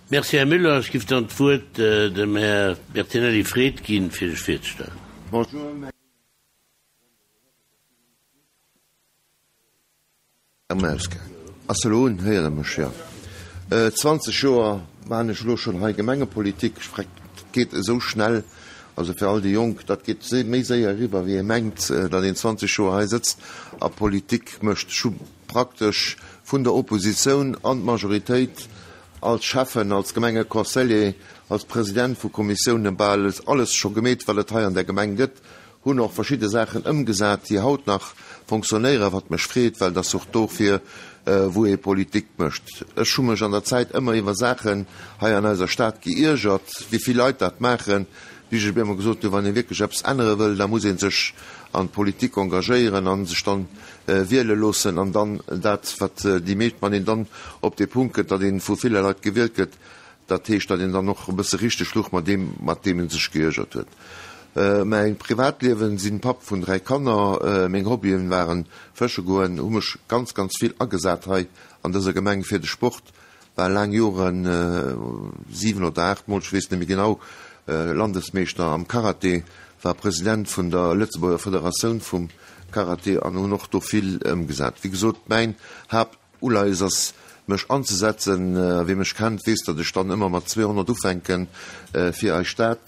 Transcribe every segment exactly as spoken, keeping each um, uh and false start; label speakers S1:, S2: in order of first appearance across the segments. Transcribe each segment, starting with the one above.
S1: Merci, Här Müller. Ech giff dann d'Wuert dem Här Bertinelli Fred ginn, fir sech virzestellen.
S2: Bonjour, mäin Ass elo un? Héiert Der mech? Jo. Zwanzeg Joer maachen ech elo schonn hei Gemengepolitik. Ech freck, dat geet esou schnell. Also fir all déi Jonk, dat geet méi séier eriwwer, wéi ee mengt, datt een zwanzeg Joer hei sëtzt a Politik mécht. Ech hu praktesch vun der Oppositioun an d'Majoritéit, als Schäffen, als Gemengeconseiller, als President vu Kommissiounen bal alles scho gemeet, wat et hei an der Gemeng gëtt, hunn och verschidde Saachen ëmgesat, déi haut nach fonctionnéieren, wat mech freet, well et ass och dofir, wou ee Politik mécht. Ech hu mech an der Zäit ëmmer iwwer Saachen hei an eiser Stad geiergert, wéi vill Leit dat maachen, bis ech op eemol gesot hunn, wann ee wierklech eppes ännere wëll, da muss ee sech an d'Politik engagéieren a sech dann wiele loossen an dann dat, wat déi meescht, wann een dann op dee Punkt kënnt, datt ee vu ville Leit gewielt gëtt, dat heescht, datt een dann och e bësse richteg luch mat deem, mat deem ee sech geiergert huet. Mäi Privatliewen, sinn Papp vun dräi Kanner, meng Hobbyen waren fësche goen, hu mech ganz, ganz vill agesat hei an dëser Gemeng fir de Sport, war laang Joren, siwen oder aacht mol, ech weess net méi genau, Landesmeeschter am Karate, war President vun der Lëtzebuerger Federatioun vum Karate an hunn och do vill ëmgesat. Wéi gesot, mäin Haaptuleies ass, mech anzesetzen. Wie mech kennt, weess, datt ech dann ëmmer mat zweehonnert ufänke fir eis Stad.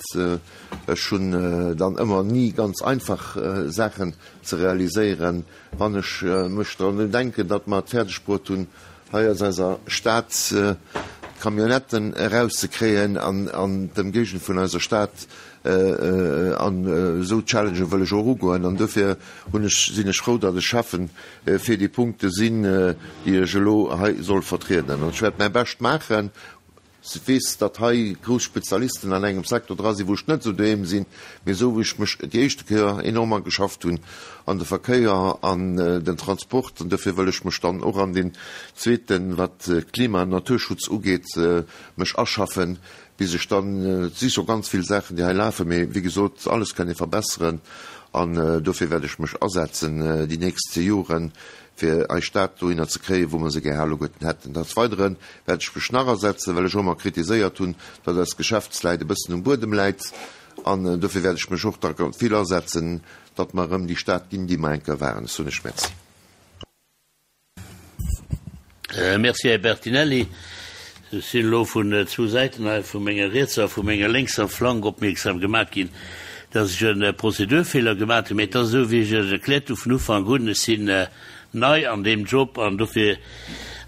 S2: Ech hunn dann ëmmer ni ganz einfach Saachen ze realiséieren. Wann ech mech dran denken, datt mer et fäerdeg bruet hunn, hei aus eiser Stad d'Camionnetten erauszekréien an d'Ëmgéigend vun eiser Stad, an esou Challengë wëll ech och ugoen. An dofir hunn ech, sinn ech frou, datt ech Schäffen fir déi Punkte sinn, déi ech elo hei soll vertrieden. An ech wäert mäi Bescht maachen. Ech weess, datt hei grouss Spezialisten an engem Secteur dra sinn, wou ech net esou doheem sinn, mee esou wéi ech mech déi éischte Kéier enorm ageschafft hunn an de Verkéier an den Transport, an dofir wëll ech mech dann och an deen zweeten, wat Klima an Naturschutz ugeet, mech aschaffen, bis ech dann, et si scho ganz vill Saachen, déi hei lafen, mee wéi gesot, alles kann ee verbesseren an dofir wäert ech mech asetzen déi nächst Joren, fir eis Stad dohinner ze kréien, wou mer se gär alleguerten hätten. Des Weidere wäert ech mech nach asetzen, well ech och ëmmer kritiséiert hunn, datt eis Geschäftsläit e bëssen um Buedem läit. An dofir wäert ech mech och da vill asetzen, datt mer erëm déi Stad ginn, déi mer eng Kéier waren. Ech soen lech Merci.
S1: Merci, Här Bertinelli. Ech sinn elo vun zwou Säiten hei, vu menger rietser a vu menger lénkser Flank opmierksam gemaat ginn, dass ech e Prozedurfeeler gemaat hunn. Mee et ass esou, wéi ech Iech erkläert hu vun Ufank un, ech sinn nei an deem Job an dofir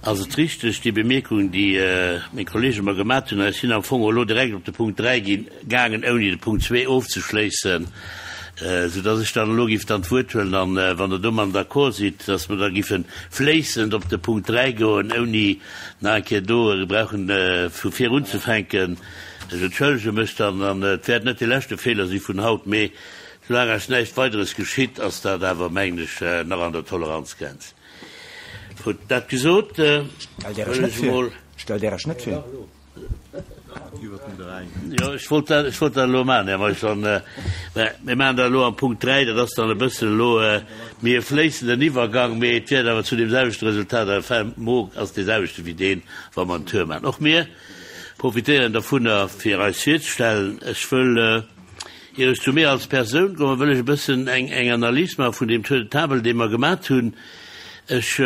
S1: ass et richteg, déi Bemierkung, déi meng Kollege mer gemaat hunn. Ech sinn am Fong elo direkt op de Punkt dräi ginn, gaangen, ouni de Punkt zwee ofzeschléissen, soudass ech dann elo giff dann d'Wuert huelen an, wann Der domadden d'accord sidd, dass mer da giffe fléissend op de Punkt dräi goen, ouni nach eng Kéier do brauchen vu vir unzefänken. Ech entschëllege mech dann an et wäert net de leschte Feeler si vun haut, mee soulaang eis näischt Weideres geschitt, ass dat awer, mengen ech, nach an der Toleranzgrenz. Gutt, dat gesot, wëll ech emol.
S3: Stellt Är Iech net vir.
S1: Jo, ech wollt dat, ech wollt dat elo maachen, Här Meisch. An, mä mir maachen dat elo am Punkt dräi. Dat ass dann e bëssen elo méi e fléissenden Iwwergang, mee et wäert awer zu deem selwechte Resultat, enfin, Mo ass dee selwechte wéi deen, wa mer en Tour maachen. Och mir profitéieren dovunner, fir eis virzestellen. Ech wëll, ier ech zu mir als Persoun kommen, wëll ech e bëssen eng, eng Analys maache vun deem Tour de table, dee mer gemat hunn. Ech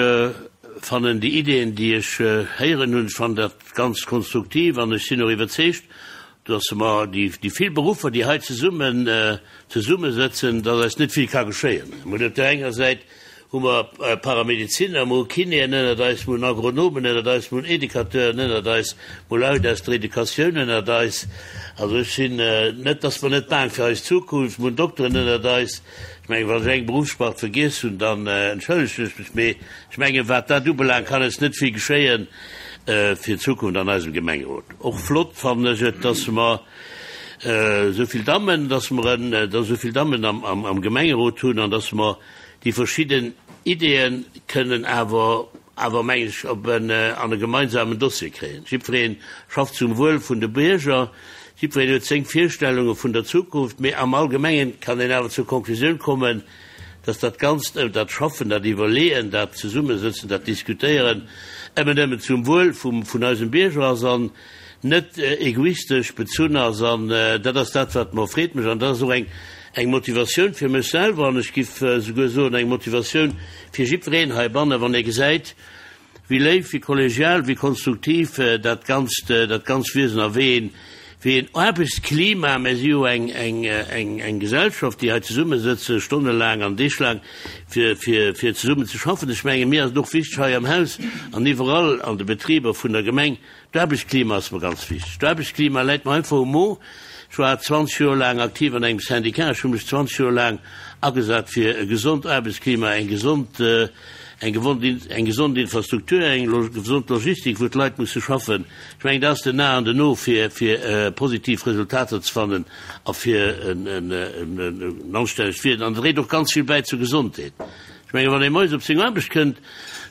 S1: fannen déi Ideeën, déi ech héieren hunn, ech fannen dat ganz konstruktiv an ech sinn och iwwerzeegt, dass mer déi vill Beruffer, déi hei zesummen zesummesëtzen, dass eis net vill ka geschéien. Mir hunn op där enger Säit hu mer Paramedeziner, mer hu Kinéen ënnert eis, mer hunn Agronomen ënnert eis, mer hunn Educateuren ënnert eis, mer hu Leit aus der Educatioun ënnert eis. Also ech sinn net, dass mer net baang fir eis Zukunft, mer hunn Dokteren ënnert eis. Ech mengen, wann ech eng Berufsspart vergiess hunn, dann entschëllegen ech mech, mee ech mengen, wat dat ubelaangt, kann eis net vill geschéien fir d'Zukunft an eisem Gemengerot. Och flott fannen ech et, dass mer esou vill Dammen, dass mer en, dass esou vill Dammen am, am, am Gemengerot hunn an dass mer déi verschidden Ideeën kënnen awer, awer mengen ech, op en, an e gemeinsamen Dossier kréien. Jiddweree schafft zum Wuel vun de Bierger, jiddwereen huet seng Virstellunge vun der Zukunft, mee am Allgemengen kann een awer zur Konklusioun kommen, dass dat Ganzt, dat Schaffen, dat Iwwerleeën, dat Zesummesëtzen, dat Diskutéieren ëmmer nëmmen zum Wuel vum, vun eisem Bierger ass an net egoistesch bezunn ass an dat ass dat, wat mer Freed mécht an dat ass och eng eng Motivatioun fir mech selwer an ech giff souguer soen eng Motivatioun fir jiddwereen heibannen, wann ee gesäit, wéi léif, wéi kollegial, wéi konstruktiv dat ganzt, dat ganz Wiesen a wéi een, wéi een Aarbechtsklima, mir si jo eng, eng, eng, eng Gesellschaft, déi hei zesummesëtze stonnelaang an deeglaang, fir, fir, fir zesummen ze schaffen. Ech menge mir ass et och wichteg hei am Haus an iwwerall an de Betriber vun der Gemeng, d'Aarbechtsklima ass mer ganz wichteg. D'Aarbechtsklima läit mer einfach um Mo. Ech war zwanzeg Joer laang aktiv an engem Syndicat, ech hu mech zwanzeg Joer laang agesat fir e gesond Aarbechtsklima, eng gesond, eng eng gesond Infrastruktur, eng gesond Logistik, wou d'Leit musse schaffen. Ech mengen, dat ass den A an den O, fir, fir positiv Resultater ze fannen a fir en, en, en anstännegt Wiesen. An et dréit och ganz vill bäi zur Gesondheet. Ech mengen, wann ee moies op seng Aarbecht kënnt,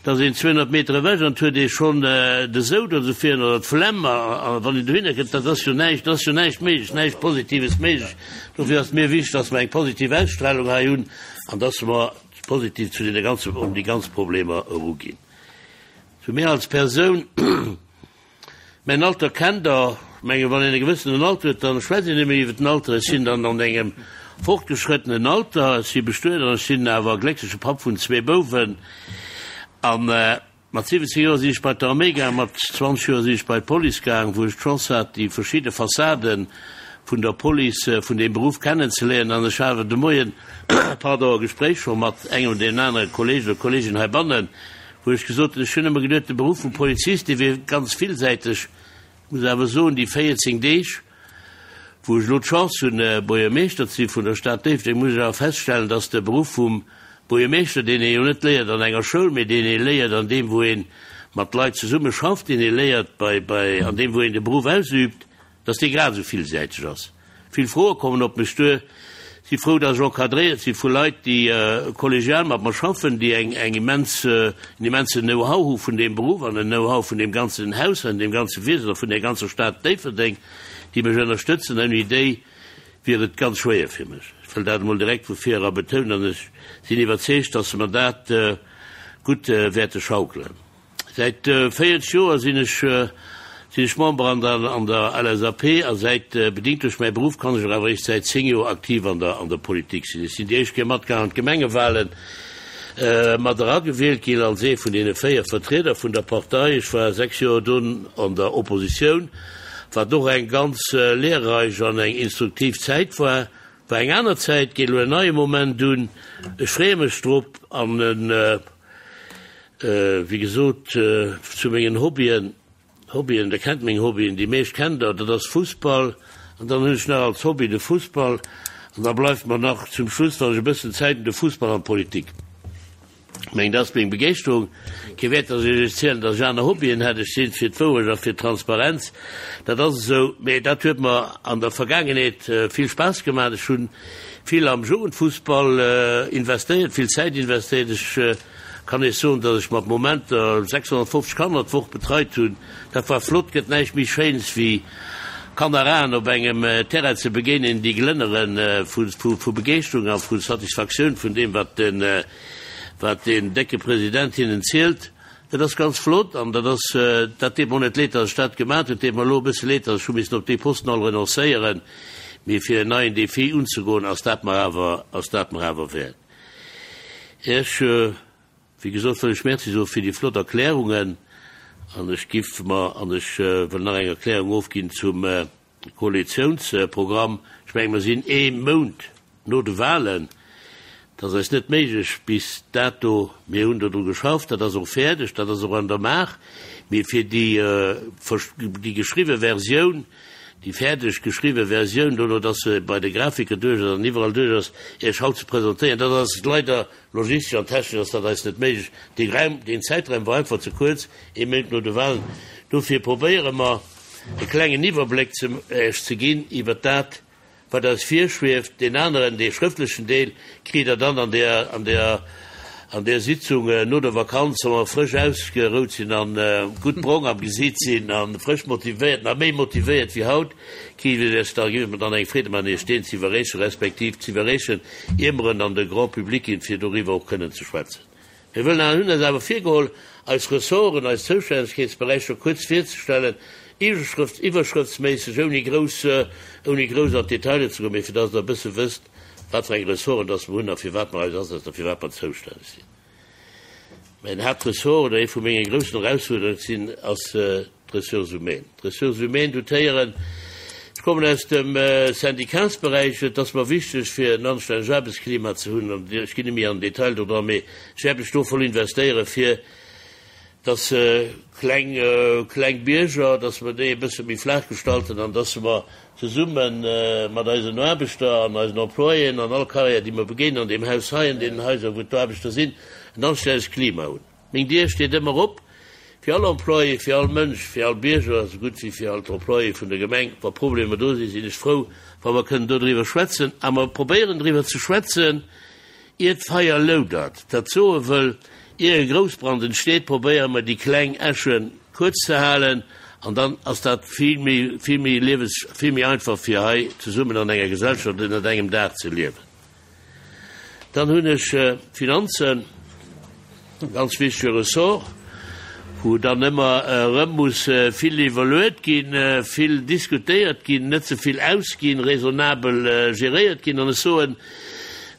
S1: da ass een zweehonnert Meter ewech an et huet ee schonn de Soud oder esou virun oder d'Flemm. A wann een dohinner kënnt, dat ass jo näischt, dat ass jo näischt méiglech, näischt Positives méiglech. Dofir ass et mir wichteg, dass mer eng positiv Ausstrahlung hei hunn an dass mer positiv zu deene ganzen, un déi ganz Problemer eruginn. Zu mir als Persoun, Mäin Alter kennt Der. Ech mengen, wann een e gewëssenen Alter huet, da schwätzt een net méi iwwer den Alter. Ech sinn dann an engem fortgeschrëttenen Alter. Ech si bestuet an ech sinn awer gléckleche Papp vun zwee Bouwen. A mat siwwenzéng Joer sinn ech bei d'Arméi gaang, mat zwanzeg Joer sinn ech bei d'Police gaang, wou ech d'Chance hat, déi verschidde Fassaden vun der Police, vun deem Beruff kennenzeléieren. An ech hat awer de Moien, pardon, e Gespréich scho mat engem oder deem anere Kolleeg oder Kolleegin heibannen, wou ech gesot hunn, ech hunn ëmmer geduet, de Beruff vum Polizist, dee wier ganz villsäiteg. Ech muss awer soen, déi véierzéng Deeg, wou ech elo d'Chance hunn, Buergermeeschter ze si vun der Stad Déifferdeng, muss ech awer feststellen, dass de Beruff vum Buergermeeschter, deen ee jo net léiert an enger Schoul, mee deen ee léiert an deem, wou ee mat Leit zesumme schafft, deen ee léiert bei, bei, an deem, wou een de Beruff ausübt, dass dee grad esou villsäiteg ass. Vill Froe kommen op mech duer. Si frou, dass ech encadréiert si vu Leit, déi kollegial mat mer schaffen, déi eng eng immens, en immensen Know-how hu vun deem Beruff an en Know-how vun deem ganzen Haus an deem ganze Wiesen a vun där ganzer Stad Déifferdeng, déi mech ënnerstëtzen. Ouni déi wier et ganz schwéier fir mech. Ech wëll dat emol direkt vu vir era betounen an ech sinn iwwerzeegt, dass se mer dat gutt wäerte schaukelen. Säit véierzeg Joer sinn ech sinn ech Member an der an der L S A P a säit, bedingt duerch mäi Beruff, kann ech och awer eréischt säit zéng Joer aktiv an der an der Politik sinn. Ech sinn déi éischt Kéier matgaang an d'Gemengewahlen, mat eragewielt ginn als ee vun deene véier Vertrieder vun der Partei. Ech war sechs Joer dunn an der Oppositioun, wat och eng ganz lehrreich an eng instruktiv Zäit war. War eng aner Zäit, geet elo en neie Moment un. Ech freeë mech drop an, wéi gesot, zu mengen Hobbyen, Hobbyen, der kennt meng Hobbyen, déi meescht kennt der, dat ass Fussball an dann hunn ech nach als Hobby de Fussball an da bleift mer nach zum Schluss, wann ech e bëssen Zäit hunn, de Fussball an d'Politik. Ech mengen, dat ass meng Begeeschterung. Kee Wäert, datt ech Iech erzielen, datt ech aner Hobbyen hätt. Ech si fir d'Wourecht a fir d'Transparenz, dat ass esou. Mee dat huet mer an der Vergaangenheet vill Spaass gemaach. Ech hu vill am Jugendfussball investéiert, vill Zäit investéiert. Ech kann Iech soen, datt ech mat Momenter sechshonnertfofzeg Kanner d'Woch betreit hunn. Dat war flott. Gëtt näischt méi Schéins wéi Kanneraen op engem Terrain ze begéinen, déi glënnere vu Begeeschterung a vu Satisfaktioun vun deem, wat den wat deen décke President hinnen zielt. Dat ass ganz flott an dat ass, dat deet mer och net leed, datt ech dat gemaat hunn. Et deet mer elo e bësse leed, datt ech hu missen op dee Posten all renoncéieren, mee fir en neien Défi unzegoen, ass dat mer awer, ass dat mer awer wäert. Ech, wéi gesot, wëll ech Merci soe fir déi flott Erklärungen an ech giff mer, an ech wëll nach eng Erklärung ofginn zum Koalitiounsprogramm. Ech menge mer sinn ee Mount no de Wahlen. Et ass eis net méiglech bis dato, mir hunn dodru geschafft, dat ass och fäerdeg, dat ass och an der Maach, mee fir déi, déi geschriwwe Versioun, déi fäerdeg geschriwwe Versioun, dono dass se bei de Grafiker duerch ass an iwwerall duerch ass, Iech haut ze presentéieren, dat ass leider logistesch an technesch ass dat eis net méiglech. Dee Raum, deen Zäitraum war einfach ze kuerz, ee Méint no de Wahlen. Dofir probéiere mer e klengen Iwwerbléck ze Iech ze ginn iwwert dat, Wat eis virschwieft, deen aneren, dee schrëftlechen Deel, kritt Der dann an där, an där, an där Sitzung no der Vakanz, wa mer frësch ausgerout sinn a gutt brong am Gesiit sinn a frësch motivéiert, nach méi motivéiert wéi haut, kritt Der Iech da, gi mer dann eng Freed maachen, Iech deen ze iwwerreechen, respektiv ze iwwerreechen, ier mer en an de Grand public ginn, fir doriwwer och kënnen ze schwätzen. Mir wëllen an hunn eis awer virgeholl, eis Ressorten, eis Zoustännegkeetsberäicher kuerz virzestellen, Iwwerschrëfts, iwwerschrëftsméisseg, ouni grouss, ouni grouss an d'Detailer ze goen, mee fir dass Der e bësse wësst, wat fir eng Ressorten dass mer hunn a fir wat mer eis asetzen a fir wat mer zoustänneg sinn. Mäin Haaptressort oder ee vu menge groussen Erausfuerderunge sinn, ass d'Ressources humaines. D'Ressources humaines dotéieren. Ech kommen aus dem Syndicatsberäich. Et ass mer wichteg, fir en anstännegt Aarbechtsklima ze hunn, an ech ginn net méi an den Detail do dran, mee ech wäert mech do voll investéieren, fir dass kleng, kleng Bierger, dass mer déi e bësse méi flaach gestalten an dass mer zesumme mat eisen Aarbechter an eisen Employéen an all Carrière, déi mer begéinen an deem Haus hei, an deenen Haiser, wou d'Aarbechter sinn, en anstännegt Klima hunn. Meng Dier steet ëmmer op fir all Employé, fir all Mënsch, fir all Bierger, esou gutt wéi fir all d'Employéë vun der Gemeng. Wa Problemer do sinn, sinn ech frou, wa mer kënnen dodriwwer schwätzen. A mer probéieren driwwer ze schwätzen, ier d'Feier loudert. Dat soe wëll, ier e Groussbrand entsteet, probéiere mer déi kleng Äsche kuerz ze halen an dann ass dat vill méi, vill méi liewes, vill méi einfach fir hei zesummen an enger Gesellschaft ënnert engem Daach ze liewen. Dann hunn ech d'Finanzen, e ganz wichtege Ressort, wou dann ëmmer erëm muss vill iwwerluet ginn, vill diskutéiert ginn, net ze vill ausginn, raisonnabel geréiert ginn. An ech soen,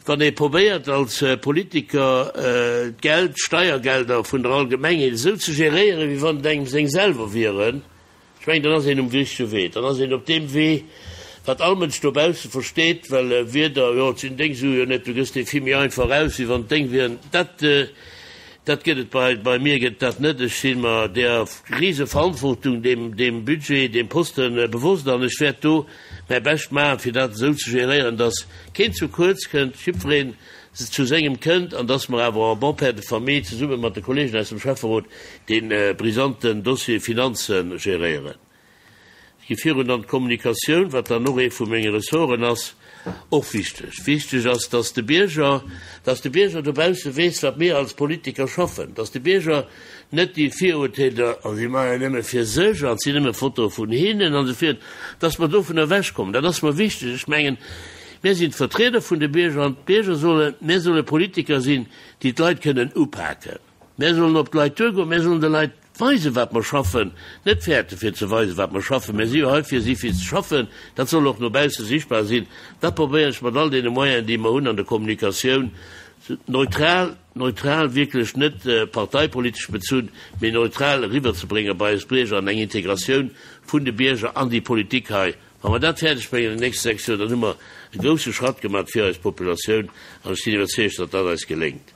S1: wann ee probéiert als Politiker d'Geld, d'Steiergelder vun der Allgemengheet esou ze geréieren, wéi wann et engem seng selwer wieren, ech mengen, dann ass een um richtege Wee. Dann ass een op deem Wee, wat all Mënsch dobausse versteet, well Wierder, jo, et sinn deng Sue jo net, du gëss déi vill méi einfach aus, wéi wann et deng wieren, dat, dat gëtt et bei, bei mir gëtt et dat net. Ech si mer där Riseverantwortung, deem, deem Budget, deem Posten bewosst an ech wäert do mäi Bescht maachen, fir dat esou ze geréieren, dass keen zu kuerz kënnt, jiddwereen zu sengem kënnt an dass mer awer en bon père de famille zesumme mat de Kollegen aus dem Schäfferot dee brisanten Dossier Finanze geréieren. Ech gi virun an d'Kommunikatioun, wat dann och ee vu menge Ressorten ass, och wichteg. Wichteg ass, dass de Bierger, dass de Bierger dobausse weess, wat mir als Politiker schaffen, dass de Bierger net déi Virurteeler, oh si maachen jo nëmme fir sech an et sinn nëmme Fotoe vun hinnen an esou virun, dass mer dovun ewechkommen. Dat ass mer wichteg. Ech mengen, mir sinn d'Vertrieder vun de Bierger an d'Bierger solle, mir solle Politiker sinn, déi d'Leit kënnen upaken. Mir sollen op d'Leit duergoen, mir sollen de Leit weisen, wat mer schaffen, net fäerten, fir ze weisen, wat mer schaffen. Mir si jo hei fir si, fir ze schaffen. Dat soll och no bausse sichtbar sinn. Dat probéieren ech mat all deene Moyenen, déi mer hunn an der Kommunikatioun, neutral, neutral, wierklech net parteipolitesch bezunn, mee neutral eriwwerzebréngen bei eis Bierger an eng Integratioun vun de Bierger an déi Politik hei. Wa mer dat fäerdegbréngen an den nächste sechs Joer, dann hu mer e grousse Schratt gemaach fir eis Populatioun an ech sinn iwwerzeegt, datt dat eis geléngt.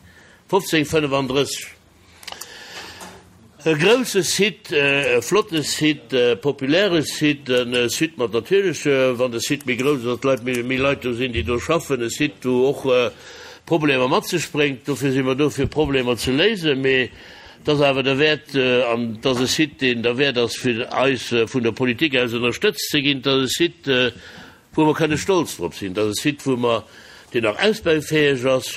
S1: fofzéng fënnefandrësseg E grousse Site, e flotte Site, e populäre Site, e Site mat natierlech, wann de Site méi grouss ass, datt Leit, méi Leit do sinn, déi do schaffen, e Site, wou och Problemer mat sech bréngt. Dofir si mer do, fir Problemer ze léisen. Mee et ass awer derwäert, an et ass e Site, deen derwäert ass, fir eis vun der Politik aus ënnerstëtzt ze ginn. Et ass e Site, wou mer kënne stolz drop sinn. Et ass e Site, wou mer, deen nach ausbaufäeg ass,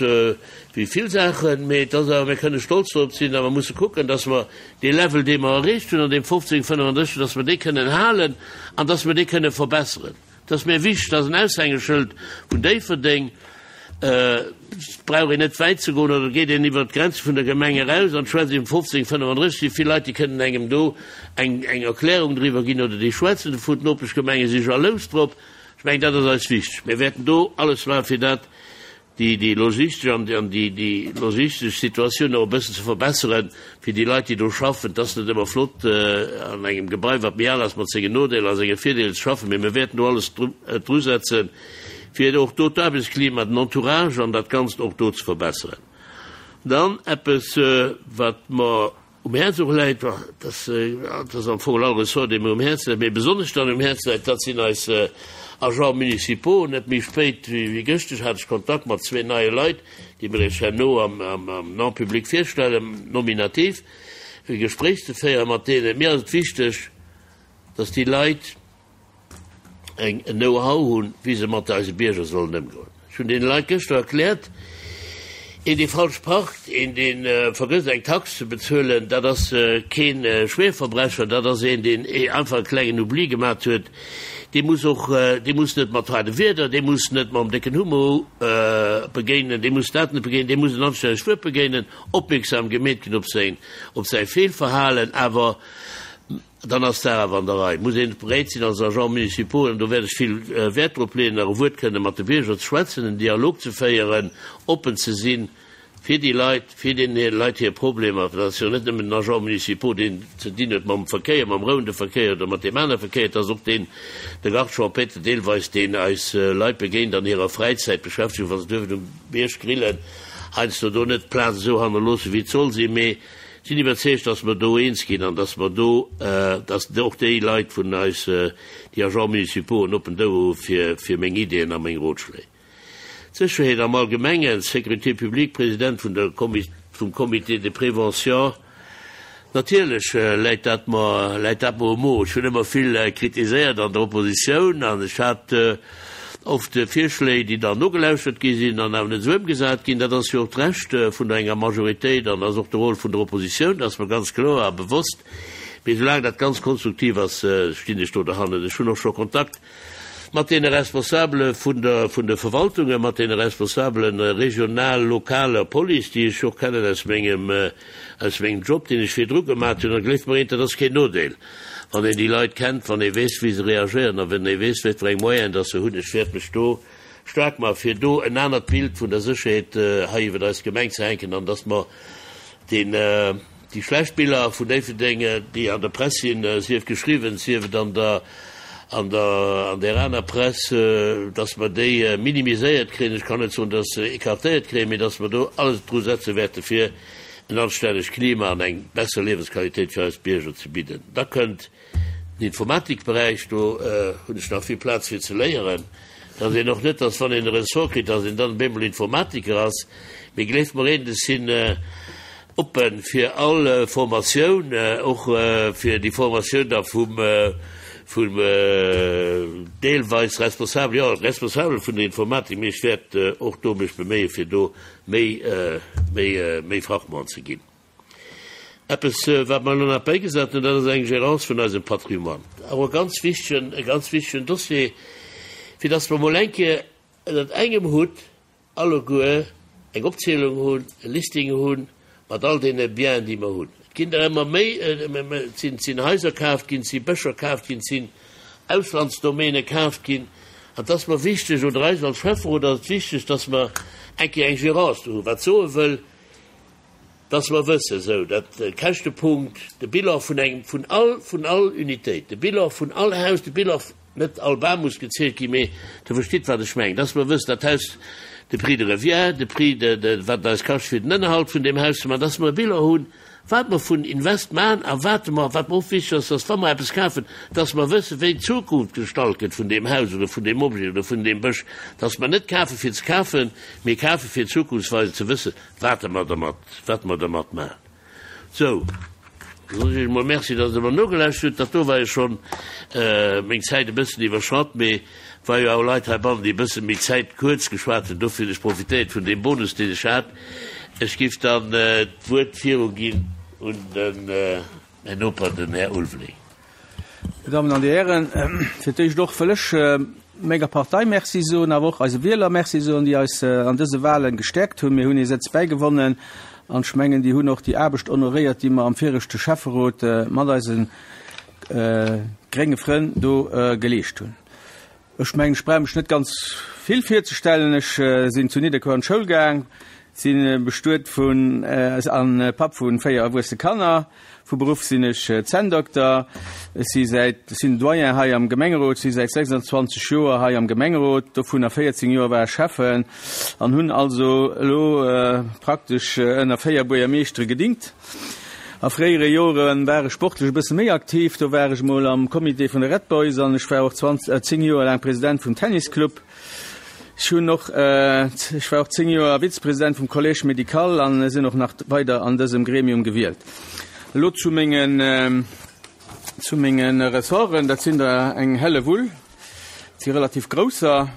S1: wéi vill Saachen, mee et ass awer, mir kënne stolz drop sinn a mer musse kucken, dass mer dee Level, dee mer erreecht hunn an deem fofzéng fënnefandrësseg, dass mer dee kënnen halen an dass mer dee kënne verbesseren. Et ass mir wichteg, dass en Aushängeschëld vun Déifferdeng, et brauch een net wäit ze goen oder et geet een iwwert d'Grenze vun der Gemeng eraus an schwätzt iwwer fofzéng fënnefandrësseg, si vill Leit, déi kënnen engem do eng Erklärung driwwer ginn oder déi schwätzen dovun. D'Nopeschgemenge si jalous drop. Ech mengen, dat ass eis wichteg. Mir wäerten do alles maachen, fir dat, déi, déi logistesch an déi, déi logistesch Situatioun och e bëssen ze verbesseren, fir déi Leit, déi do schaffen. Et ass net ëmmer flott, an engem Gebai, wat méi al ass, mat sengen Nodeeler a senge Virdeeler ze schaffen, mee mir wäerten do alles drusetzen, fir och do d'Aarbechtsklima, den Entourage an dat Ganzt och do ze verbesseren. Dann eppes, wat mer um Häerz och läit, dat ass am Fong all Ressort, dee mir um Häerz läit, mee besonnesch dann um Häerz läit, dat sinn eis Agents municipaux. Net méi spéit wéi gëschteg hat ech Kontakt mat zwee neie Leit, déi mir Iech herno am en public virstellen, nominativ, e Gespréich ze féiere mat deenen. Mir ass et wichteg, dass déi Leit eng en Know-how hunn, wéi se mat eise Bierger sollen ëmgoen. Ech hunn deene Leit gëschter erkläert, Een, dee falsch parkt, een, dee vergësst eng Tax ze bezuelen, dat ass kee Schwerverbrecher, dat ass een, deen einfach e klengen Oubli gemat huet. Dee muss och, dee muss net mat haarde Wierder, dee muss net mam décken Hummer begéinen, dee muss dat net begéinen, dee muss en anstännegt Wuert begéinen, opmierksam gemeet ginn op säin, op säi Feelverhalen, awer Dann ass dat awer an der Rei. Muss een bereet sinn als Agent municipaux, an do wäert ech vill Wäert drop leeën, nach e Wuert kënne mat de Bierger ze schwätzen, en Dialog ze féieren, oppen ze sinn fir déi Leit, fir deene Leit hir Problemer. Dat ass jo net nëmmen den Agent municipaux, deen ze dinn huet mam Verkéier, mam rouende Verkéier oder mat deem anere Verkéier, et ass och deen, de Garde champêtre deelweis, deen eis Leit begéint an hirer Fräizäitbeschäftegung, wa se duerfen um Bierg grillen, heiansdo do net d'Plaz esou hannerloossen, wéi et soll sinn. Mee sinn iwwerzeegt, dass mer do eens ginn an dass mer do, dass och déi Leit vun eis, déi Agents municipaux, en oppent Ouer hu fir, fir meng Ideeën a meng Rotschléi. D'Sécherheet am Allgemengen, Sécurité publique, President vun der vum Comité de prévention, natierlech läit dat mer, läit dat mer um Mo. Ech hunn ëmmer vill kritiséiert an der Oppositioun an ech hat oft Virschléi, déi dann nogelauschtert gi sinn an awer net esou ëmgesat ginn. Dat ass jo och d'Recht vun enger Majoritéit an ass och de Rôle vun der Oppositioun, dat ass mer ganz kloer a bewosst. Mee soulaang dat ganz konstruktiv ass, stinn ech do derhannen. Ech hunn och scho Kontakt mat deene Responsabele vun der, vun de Verwaltungen, mat deene Responsabelen regional, lokaler Police, déi ech och kennen aus mengem, aus mengem Job, deen ech virdru gemat hunn. A gleeft mer eent, dat ass keen Nodeel. Wann een déi Leit kennt, wann ee weess, wéi se reagéieren a wann ee weess, wat fir eng Moyenen dass se hunn. Ech wäert mech do staark maachen, fir do en anert Bild vun der Sécherheet hei iwwer eis Gemeng ze hänken an dass mer deen, déi schlecht Biller vun Déifferdeng, déi an der Press sinn, sief geschriwwen, sief et an der, an der, an där aner Press, dass mer déi minimiséiert kréien. Ech kann net soen, dass se écartéiert kréien, mee dass mer do alles dru setze wäerte fir en anstännegt Klima an eng besser Liewensqualitéit fir eis Bierger ze bidden. Da kënnt den Informatikberäich, do hunn ech nach vill Plaz fir ze léieren. Dass een och net, dass wann een e Ressort kritt, dass een dann op eemol Informatiker ass. Mee gleeft mer eent, ech sinn oppe fir all Formatioun, och fir déi Formatioun da vum, vum deelweis Responsabel, jo, Responsabel vun der Informatik, mee ech wäert och do mech beméie fir do méi, méi, méi Fachmann ze ginn. Eppes, wat mer elo nach bäigesat hunn, dat ass eng Gérance vun eisem Patrimoine. Och e ganz wichtegen, e ganz wichtegen Dossier, fir dass mer emol eng Kéier ënnert engem Hutt alleguer eng Opzielung hunn, e Listing hunn mat all deene Bienen, déi mer hunn. Et ginn der ëmmer méi, et sinn, et sinn Haiser kaaft ginn, et si Bëscher kaaft ginn, et sinn Auslandsdomäne kaaft ginn. An et ass mer wichteg, oder eis als Schäfferot ass et wichteg, dass mer eng Kéier eng Gérance do hunn, wat soe wëll, dass mer wëssen, esou dat Käschtepunkt, de Bilan vun engem, vun all, vun all Unitéit, de Bilan vun all Haus, de Bilan, net all Bam muss gezielt ginn, mee Der verstitt, wat ech mengen, dass mer wëssen, dat Haus, de Prix de revient, de Prix de, de, wat et eis kascht, fir den Ënnerhalt vun deem Haus ze maachen, dass mer e Bilan hunn, wat mer vun Invest maachen a wat mer, wat mer och wichteg ass, dass wa mer eppes kafen, dass mer wëssen, wéi d'Zukunft gestalt gëtt vun deem Haus oder vun deem Objet oder vun deem Bësch, dass mer net kafen, fir ze kafen, mee kafen, fir zukunftsweisend ze wëssen, wat mer dermat, wat mer dermat maachen. Sou, da soen ech Iech emol Merci, dass Der mer nogelauschtert hutt. Dat do war jo schonn meng Zäit e bëssen iwwerschratt, mee et war jo awer Leit heibannen, déi e bësse méi Zäit kuerz geschwat hunn. Dofir hunn ech profitéiert vun deem Bonus, deen ech hat. Ech giff dann d'Wuert viruginn un den, mäin Noper, den Här Ulveling.
S3: Dir Dammen an Dir Hären, fir d'éischt och wëll ech menger Partei Merci soen, awer och eise Wieler Merci soen, déi eis an dëse Wahlen gestäerkt hunn. Mir hunn ee Sëtz bäigewonnen an ech mengen, déi hunn och déi Aarbecht honoréiert, déi mer am viregte Schäfferot mat eise grénge Frënn do geleescht hunn. Ech mengen, ech brauch mech net ganz vill virzestellen. Ech sinn zu Nidderkuer an d'Schoul gaang, si bestuet vun an Papp vu véier erwuesse Kanner. Vu Beruff sinn ech Zänndokter. Ech si säit sinn Doyen hei am Gemengerot, si säit sechsundzwanzeg Joer hei am Gemengerot, dovunner véierzéng Joer war ech Schäffen an hunn also elo praktesch ënner véier Buergermeeschtere gedingt. A fréiere Jore war ech sportlech e bësse méi aktiv, do war ech mol am Comité vun de Red Boys an ech war och zéng Joer laang President vum Tennisclub. Ech hunn och, ech war och zéng Joer Vizepresident vum Collège médical an sinn och nach weider an dësem Gremium gewielt. Elo zu mengen, zu menge Ressorten, dat sinn der eng Hellewull, dat si relativ grousser.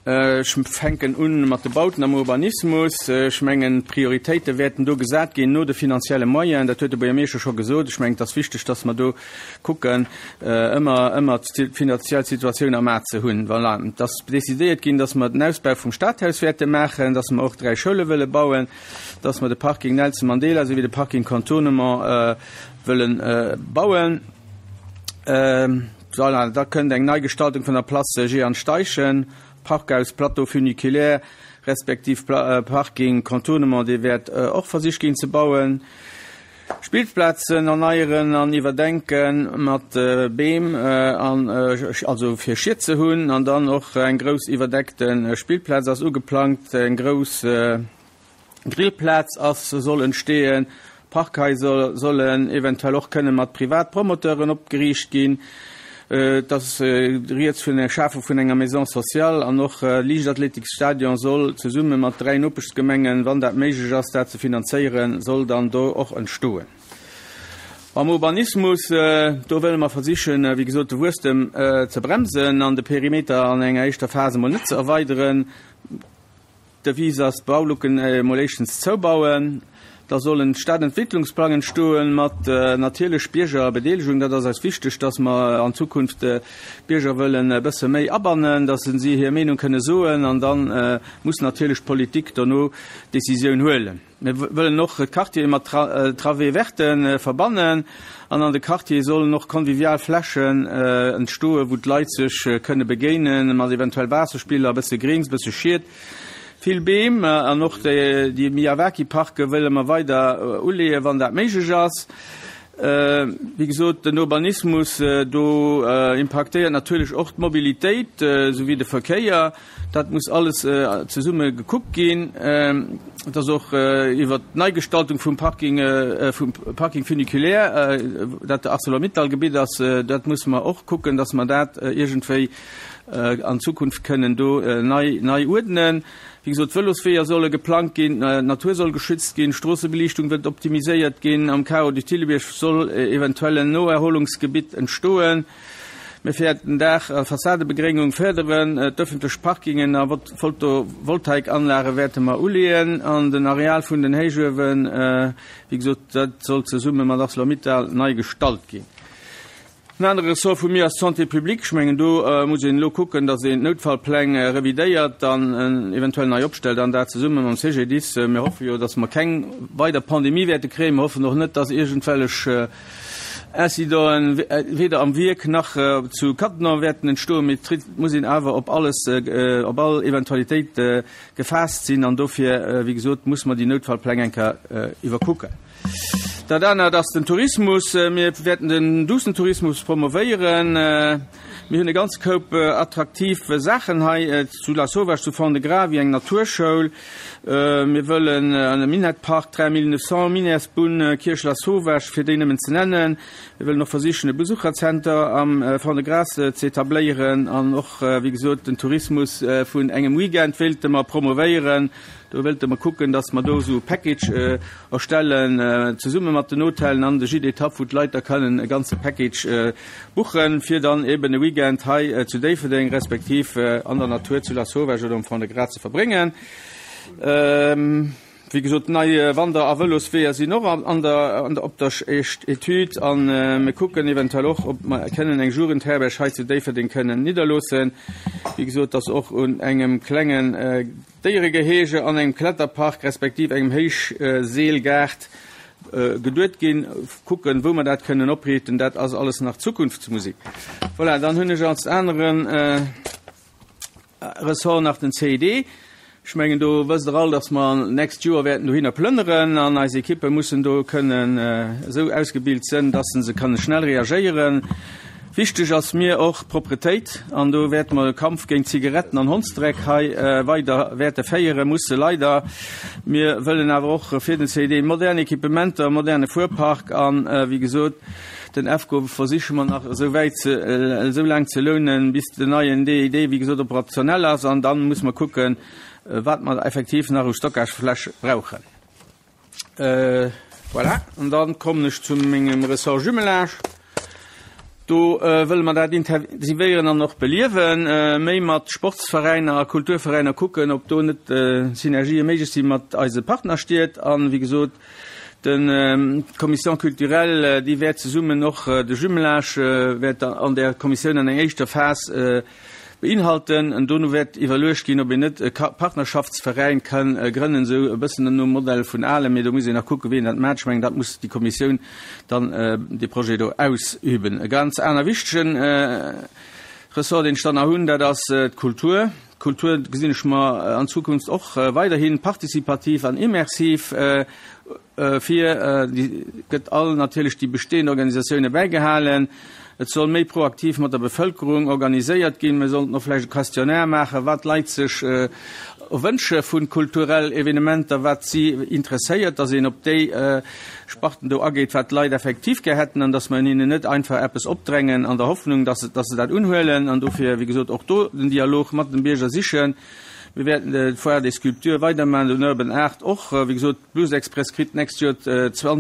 S3: Ech fänken un mat de Bauten am Urbanismus. Ech mengen, d'Prioritéite wäerten do gesat ginn no de finanzielle Moyenen. Dat huet de Buergermeeschter scho gesot. Ech mengen, et ass wichteg, dass mer do kucken, ëmmer, ëmmer d'finanziell Situatioun am A ze hunn. Voilà. Et ass decidéiert ginn, dass mer den Ausbau vum Stadhaus wäerte maachen, dass mer och dräi Schoule wëlle bauen, dass mer de Parking Nelson Mandela souwéi de Parking Contournement wëlle bauen. Voilà, da kënnt eng Neigestaltung vun der Place Jehan Steichen, Parkhaus Plateau funiculaire respektiv Parking Contournement, dee wäert och versicht ginn ze bauen. Spillplazen erneieren an iwwerdenke mat Beem an also fir Schied ze hunn an dann och eng grouss iwwerdeckte Spillplaz ass ugeplangt, eng grouss Grillplaz ass soll entstehen, Parkhaiser sollen eventuell och kënne mat Privatpromoteuren opgeriicht ginn. Et ass rieds vun der Schafung vun enger Maison sociale an och Liichtathletikstadion soll zesumme mat dräi Nopeschgemengen, wann dat méiglech ass, dat ze finanzéieren, soll dann do och entstoen. Am Urbanismus, do wëlle mer versichen, wéi gesot, de Wuesstem ze bremsen an de Perimeter an enger éischter Phas emol net ze erweideren. D'Devise ass, d'Baulucken emol éischtens zoubauen. Da soll en Stadentwicklungsplang entstoen mat natierlech Biergerbedeelegung. Dat ass eis wichteg, dass mer an Zukunft d'Bierger wëllen e bësse méi abannen, dass si hir Meenung kënne soen an da muss natierlech d'Politik dono d'Decisioun huelen. Mir wëllen och d'Quartiere mat Travées vertes verbannen an an de Quartiere sollen och convivial Flächen entstoen, wou d'Leit sech kënne begéinen, mat eventuell Waasserspiller, e bësse Grings, e bësse Schied. Vill Beem an och déi Miyawaki-Parke wëlle mer weider uleeën, wann dat méiglech ass. Wéi gesot, den Urbanismus, do impaktéiert natierlech och d'Mobilitéit souwéi de Verkéier. Dat muss alles zesumme gekuckt ginn. Et ass och iwwert d'Neigestaltung vum Parking, vum Parking funiculaire, dat de Arcelor-Mittal-Gebitt ass, dat musse mer och kucken, dass mer dat iergendwéi an Zukunft kënnen do nei, nei uerdnen. Wéi gesot, d'Vëlosweeër solle geplangt ginn, d'Natur soll geschützt ginn, d'Stroossebeliichtung wëllt optimiséiert ginn, am Carreau du Thillebiërg soll eventuell en Noerholungsgebitt entstoen. Mir wäerten Daach a Fassadebegréngung férderen, d'ëffentlech Parkingen a Photovoltaikanlage wäerte mer uleeën an den Areal vun den Héichuewen, wéi gesot, dat soll zesumme mat Arcelor-Mittal nei gestalt ginn. En anere Ressort vu mir ass d'Santé publique. Ech mengen, do muss een elo kucken, datt een d'Noutfallpläng revidéiert an eventuell nei opstellt, an dat zesumme mam C G D I S. Mir hoffe jo, datt mer keng weider Pandemie wäerte kréien. Mir hoffen och net, datt iergendwellech Incidenten weder am Wierk nach zu Cattenom wäerten entstoen. Mee et muss een awer op alles, op all Eventualitéit gefaasst sinn. An dofir, wéi gesot, muss mer déi Noutfallpläng eng Kéier iwwerkucken. Dat anert ass den Tourismus. Mir wäerten den duussen Tourismus promovéieren. Mir hunn e ganze Koup attraktiv Saachen hei zu Lasauvage, zu Fond-de-Gras, wéi eng Naturschoul. Mir wëllen e Minettpark, dräi Mille neuf cents, Minettsbunn, Kierch Lasauvage, fir déi nëmmen ze nennen. Mir wëllen och versichen, e Besucherzenter am Fond-de-Gras ze etabléieren an och, wéi gesot, den Tourismus vun engem Weekend wéilte mer promovéieren. Do wëlte mer kucken, dass mer do esou e Package erstellen, zesumme mat den Hotellen an de Gîtes d'étape, wou d'Leit da kënnen e ganze Package buchen, fir dann eben e Weekend hei zu Déifferdeng respektiv an der Natur zu Lasauvage oder um Fond-de-Gras ze verbréngen. Wéi gesot, nei Wander a Vëlosweeër sinn och an der, op der Etüd a mir kucken eventuell och, ob mer kënnen eng Jugendherberg hei zu Déifferdeng kënnen nidderloossen. Wéi gesot, dass och un engem klengen Déieregehege an engem Kletterpark respektiv engem Héichseelgaart geduet ginn. Kucken, wou mer dat kënnen opriichten, dat ass alles nach Zukunftsmusik. Voilà, dann hunn ech als aneren Ressort nach den C I D. Ech mengen, do wësst Der all, dass mer nächst Joer wäerten dohinner plënneren an eis Ekippe mussen do kënnen esou ausgebilt sinn, dass se kënne schnell reagéieren. Wichteg ass mir och d'Propretéit an do wäerte mer de Kampf géint Zigaretten an Hondsdreck hei weider wäerte féiere musse leider. Mir wëllen awer och fir den C I D modern Equipementer, moderne Fuerpark an, wéi gesot, den EFCO versiche mer nach esou wäit ze, esou laang ze lounen, bis den neien D I D, wéi gesot, operationell ass an dann muss mer kucken, wat mer effektiv nach u Stockagefläch brauchen. Voilà, an dann kommen ech zu mengem Ressort Jumelage. Do wëlle mer dat intensivéieren an och beliewen, méi mat Sportsveräiner a Kulturveräiner kucken, ob do net Synergië méiglech si mat eise Partnerstied. An, wéi gesot, d'Commission culturelle, déi wäert zesummen och de Jumelage wäert an der Kommissioun an enger éischter Phas beinhalten. An dono wäert iwwerluecht ginn, ob een net e Partnerschaftsveräin kann grënnen, esou e bëssen nom Modell vun Ahlen, mee do muss een nach kucken, wien dat maacht. Ech mengen, dat muss déi Kommissioun dann dee Projet do ausüben. E ganz aner wichtegen Ressort, deen ech dann nach hunn, dat ass d'Kultur. D'Kultur gesinn ech mer an Zukunft och weiderhi participativ an immersiv vir. Déi gëtt all natierlech déi bestehend Organisatioune bäigehalen. Et soll méi proaktiv mat der Bevëlkerung organiséiert ginn. Mir sollten och vläicht e Questionnaire maachen, wat d'Leit sech wënsche vu kulturell Evenementer, wat si interesséiert, dass een op déi Sparten do ageet, wat d'Leit effektiv gär hätten an dass mer hinnen net einfach eppes opdrängen an der Hoffnung, dass se dat unhuelen. An dofir, wéi gesot, och do den Dialog mat dem Bierger sichen. Mir wäerten d'Foire des Sculptures weidermaachen, den Urban Art och. Wéi gesot, Blues Express kritt d'nächst Joer,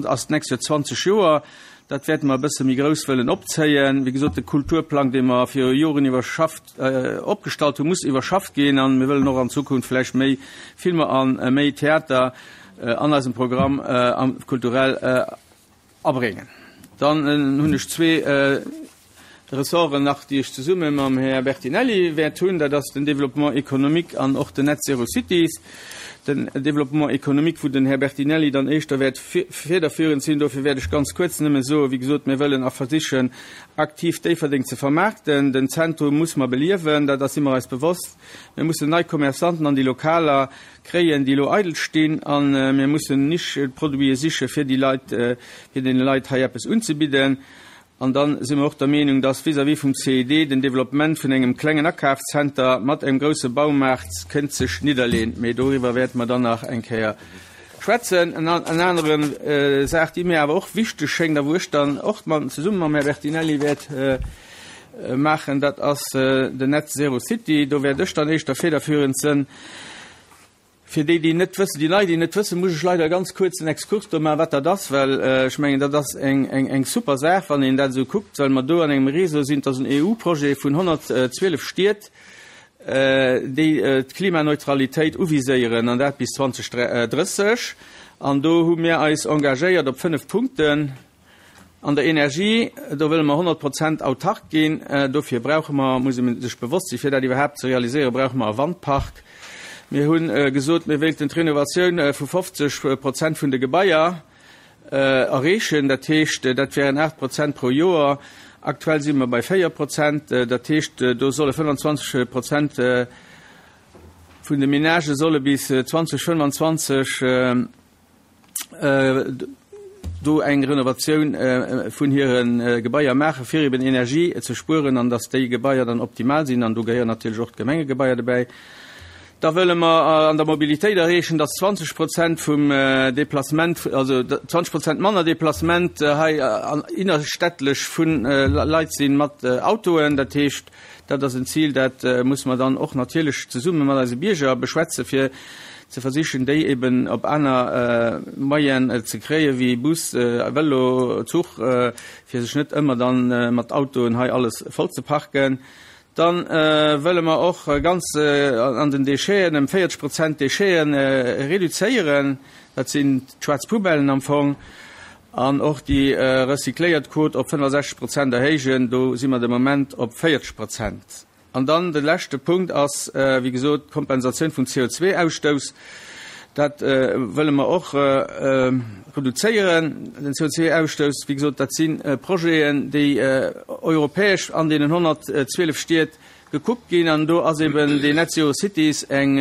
S3: ass d'nächst Joer zwanzeg Joer. Dat wäerte mer e bësse méi grouss wëllen opzéien. Wéi gesot, de Kulturplang, dee mer viru Joren iwwerschafft, opgestallt hunn, muss iwwerschafft ginn. A mir wëllen och an Zukunft vläicht méi Filmer a méi Theater an eisem Programm kulturell abréngen. Dann hunn ech zwee Ressorten nach, déi ech zesumme mam Här Bertinelli wäert hunn. Dat ass den Développement économique an och den Net Zero Cities. Den Développement économique, wou den Här Bertinelli dann éischter wäert federführend sinn. Dofir wäert ech ganz kuerz nëmme soen, wéi gesot, mir wëllen a versichen, aktiv Déifferdeng ze vermaarkten. Den Zentrum muss mer beliewen, dat ass si mer eis bewosst. Mir mussen nei Commerçanten an déi Lokaler kréien, déi elo eidel stinn. A mir mussen Nischeproduite siche fir déi Leit, fir deene Leit hei eppes unzebidden. An da si mer och der Meenung, dass vis-à-vis vum C I D den Développement vun engem klengen Akafszenter mat engem grouse Baumaart kënnt sech nidderleen. Mee doriwwer wäerte mer dann nach eng Kéier schwätzen. En anere Saach, déi mir awer och wichteg schéngt a wou ech dann och zesumme mam Här Bertinelli wäert maachen, dat ass den Net Zero City. Do wäert ech dann éischter federführend sënn. Fir déi, déi net wëssen, déi Nei, déi net wëssen, muss ech leider ganz kuerz en Exkurs do maachen, wat dat ass, well ech mengen, dat ass eng, eng, eng super Saach, wann een dat esou kuckt, well mer do an engem Réseau sinn, dat ass en E U-Projet vun honnertzwielef Stied, déi d'Klimaneutralitéit uviséieren, an dat bis zweedausenddrësseg. An do hu mir eis engagéiert op fënnef Punkten. An der Energie, do wëlle mer honnert Prozent autark ginn. Dofir brauche mer, muss ee sech bewosst sinn, fir dat iwwerhaapt ze realiséieren, brauche mer e Wandpark. Mir hu gesot, mir wéilten d'Renovatioun vu fofzeg Prozent vun de Gebaier erreechen. Dat heescht, dat wären aacht Prozent pro Joer. Aktuell si mer bei véier Prozent. Dat heescht, do solle fënnfanzwanzeg Prozent vun de Menagë solle bis zweedausendfënnfanzwanzeg do eng Renovatioun vun hire Gebaier maachen, fir eben Energie ze spueren an dass déi Gebaier dann optimal sinn. An do gehéieren natierlech och d'Gemengegebaier dobäi. Da wëlle mer an der Mobilitéit erreechen, dass zwanzeg Prozent vum Déplacement, also zwanzeg Prozent manner Déplacement hei innerstädtlech vu Leit sinn mat Autoen. Dat heescht, dat ass en Zil, dat muss mer dann och natierlech zesumme mat eise Bierger beschwätzen, fir ze versichen, déi eben op aner Moyenen ze kréien, wéi Bus, Vëlo, Zuch, fir sech net ëmmer dann mat Autoen hei alles voll ze parken. Dann wëlle mer och ganz an den Décheten ëm véierzeg Prozent Décheten reduzéieren, dat sinn d'schwaarz Poubellen am Fong, an och déi recycléiert Quot op fënnefasechzeg Prozent erhéijen, do si mer de Moment op véierzeg Prozent. An dann de leschte Punkt ass, wéi gesot, d'Kompensatioun vum C O zwei Ausstouss. Dat wëlle mer och reduzéieren, den C O zwei Ausstouss. Wéi gesot, dat si Projeten, déi europäesch an deenen honnertzwielef Stied gekuckt ginn. An do ass eben déi Net Zero Cities eng,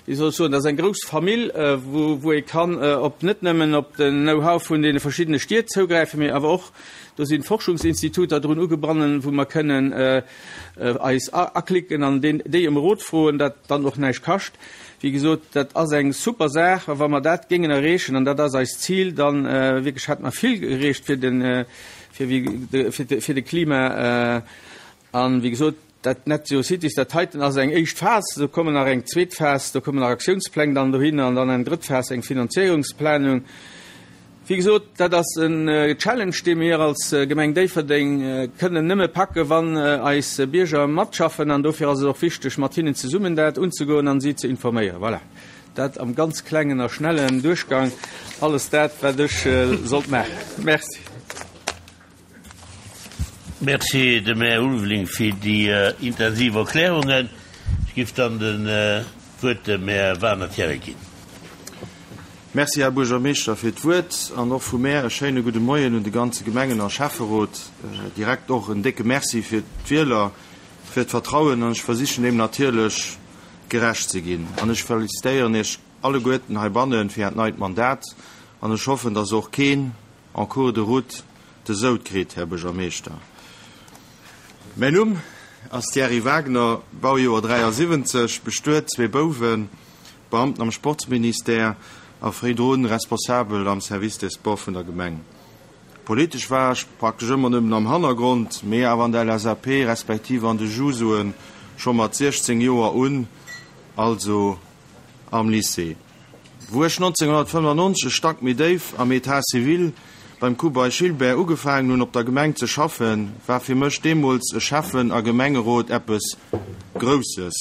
S3: wéi soll ech soen, dat ass eng grouss Famill, wou wou ee kann op net nëmmen op den Know-how vun deene verschiddene Stied zougräifen, mee awer och do sinn Forschungsinstituter drun ugebannen, wou mer kënnen eis aklicken an déi ëm Rot froen, dat dann och näischt kascht. Wéi gesot, dat ass eng super Saach, a wa mer dat géingen erreechen, an dat ass eist Zil, dann wierklech hätte mer vill erreecht fir den, fir wéi, fir de Klima. An wéi gesot, dat Net Zero Cities, dat heiten ass eng éischt Phas, do kommen nach eng zweet Phas, do kommen nach Aktiounspläng dann dohinner an dann eng drëtt Phas, eng Finanzéierungsplanung. Wéi gesot, dat ass en Challenge, dee mir als Gemeng Déifferdeng kënnen nëmme packen, wann eis Bierger matschaffen. An dofir ass et och wichteg, mat hinnen zesummen dat unzegoen an si ze informéieren. Voilà, dat am ganz klengen a schnellen Duerchgang alles dat, wat ech sollt maachen. Merci.
S1: Merci dem Här Ulveling fir déi intensiv Erklärungen. Ech géif dann den d'Wuert dem Här Wagner Thierry ginn.
S4: Merci, Här Buergermeeschter, fir d'Wuert an och vu mär e schéine gudde Moien un de ganze Gemengen a Schäfferot. Direkt och en décke Merci fir d'Wieler, fir d'Vertrauen an ech versichen deem natierlech gerecht ze ginn. An ech felicitéieren Iech alleguerten heibanne fir Äert neit Mandat an ech hoffen, dass och keen en cours de route de Soud kritt, Här Buergermeeschter. Mäin Numm ass Thierry Wagner, Baujoer dräiasiwwenzeg, bestuet, zwee Bouwen, Beamten am Sportsministère a fréidrun Responsabel am Service des Sports vun der Gemeng. Politesch war ech praktesch ëmmer nëmmen am Hannergrond, mee awer an der L S A P respektiv an de Jusoen scho mat siechzéng Joer un, also am Lycée. Wou ech nonzénghonnertfënnefannonzeg e Stack méi déif am État civil beim Kubay Gilbert ugefaangen hunn op der Gemeng ze schaffen, war fir mech deemools e Schäffen a Gemengerot eppes Grousses,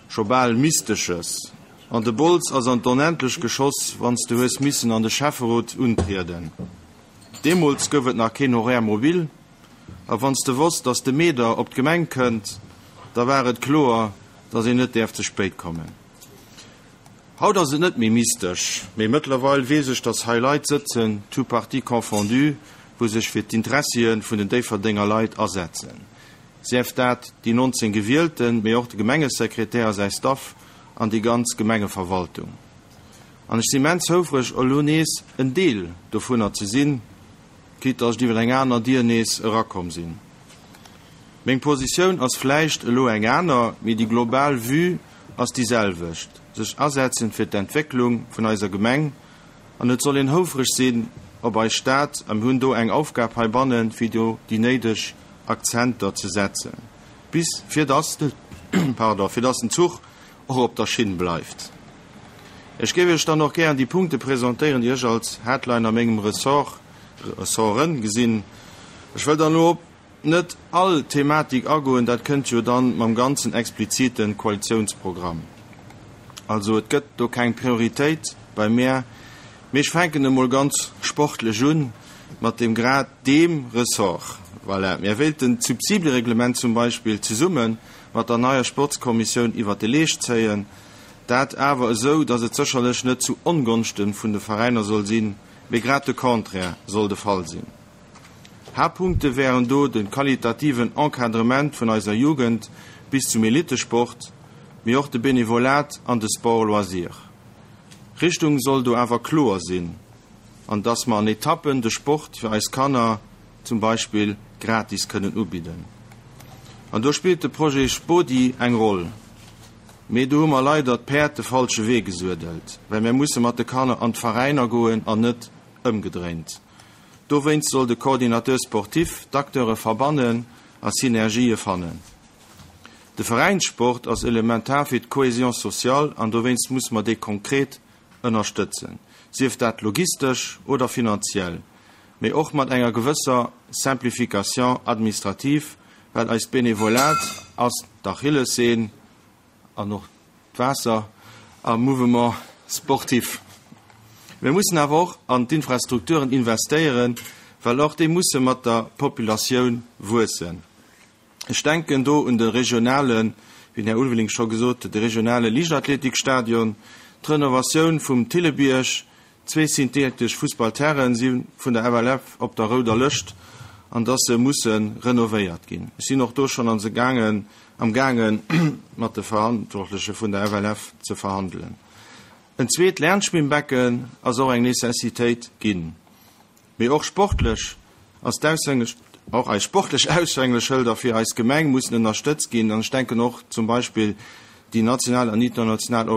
S4: scho bal Mystesches. An de Bols ass an d'Onendlecht geschoss, wann s de hues missen an de Schäfferot untrieden. Deemools gouf et nach keen Horaire mobile, a wann s de wosst, dass de Meeder op d'Gemeng kënnt, da war et kloer, dass een net däerf ze spéit kommen. Haut ass et net méi mystesch, mee mëttlerweil weess ech, dass hei Leit sëtzen, tous partis confondus, wou sech fir d'Interessie vun den Déifferdenger Leit asetzen. Sief dat déi nonzéng Gewielten, mee och de Gemengesekretär a säi Staff an déi ganz Gemengeverwaltung. An ech sinn immens houfreg, elo nees en Deel dovunner ze sinn, quitte dass ech iwwer eng aner Dier nees erakomm sinn. Meng Positioun ass vläicht elo eng aner, mee déi global Vue ass déi selwecht, sech asetzen fir d'Entwécklung vun eiser Gemeng, an et soll een houfreg sinn op eis Stad a mir hunn do eng Aufgab heibannen, fir do déi néideg Akzenter ze setzen, bis fir dass de, pardon, fir dass den Zuch och op der Schinn bleift. Ech géif Iech dann och gären déi Punkte presentéieren, déi ech als Headline a mengem Ressort, Ressorten gesinn. Ech wëll dann elo op net all Thematik agoen, dat kënnt jo dann mam ganzen expliziten Koalitiounsprogramm. Also et gëtt do keng Prioritéit bei mär, mee ech fänken emol ganz sportlech un mat deem grad deem Ressort. Voilà, mir wéilten d'Subsidereglement zum Beispill zesumme mat der neier Sportskommissioun iwwert de Leescht zéien, dat awer esou, datt et sécherlech net zu Ongonschte vun de Veräiner soll sinn, mee grad de Contraire soll de Fall sinn. Haaptpunkte wären do de qualitativen Encadrement vun eiser Jugend bis zum Elitesport, mee och de Benevolat an de Sport loisir. Richtung soll do awer kloer sinn, an dass mer an Etappen de Sport fir eis Kanner zum Beispill gratis kënnen ubidden. An do spillt de Projet Spodi eng Roll. Mee do hu mer leider d'Päerd de falsche Wee gesuedelt, well mir musse mat de Kanner an d'Veräiner goen an net ëmgedréint. Dowéinst soll de Coordinateur sportif d'Acteure verbannen a Synergië fannen. De Veräinssport ass elementar fir d'Cohésion sociale an dowéinst muss mer dee konkret ënnerstëtzen, sief dat logistesch oder finanziell, mee och mat enger gewësser Simplification administrative, well eist Benevolat ass d'Achillessehn an och d'Waasser am Mouvement sportif. Mir mussen awer och an d'Infrastrukturen investéieren, well och déi musse mat der Populatioun wuessen. Ech denken do un de regionalen, wéi den Här Ulveling scho gesot huet, de regionale Liichtathletikstadion, d'Renovatioun vum Thillebierg, zwee synthetesch Fussballterrainen si vun der F L F op der rouder Lëscht an dass se musse renovéiert ginn. Ech sinn och do schonn an se gaangen, am gaangen mat de Verantwortleche vun der F L F ze verhandelen. En zweet Lernschwimmbecken ass och eng Necessitéit ginn. Mee och sportlech ass d'Aushänge och eis sportlech Aushängeschëlder fir eis Gemeng mussen ënnerstëtzt ginn an ech denken och zum Beispill déi national an international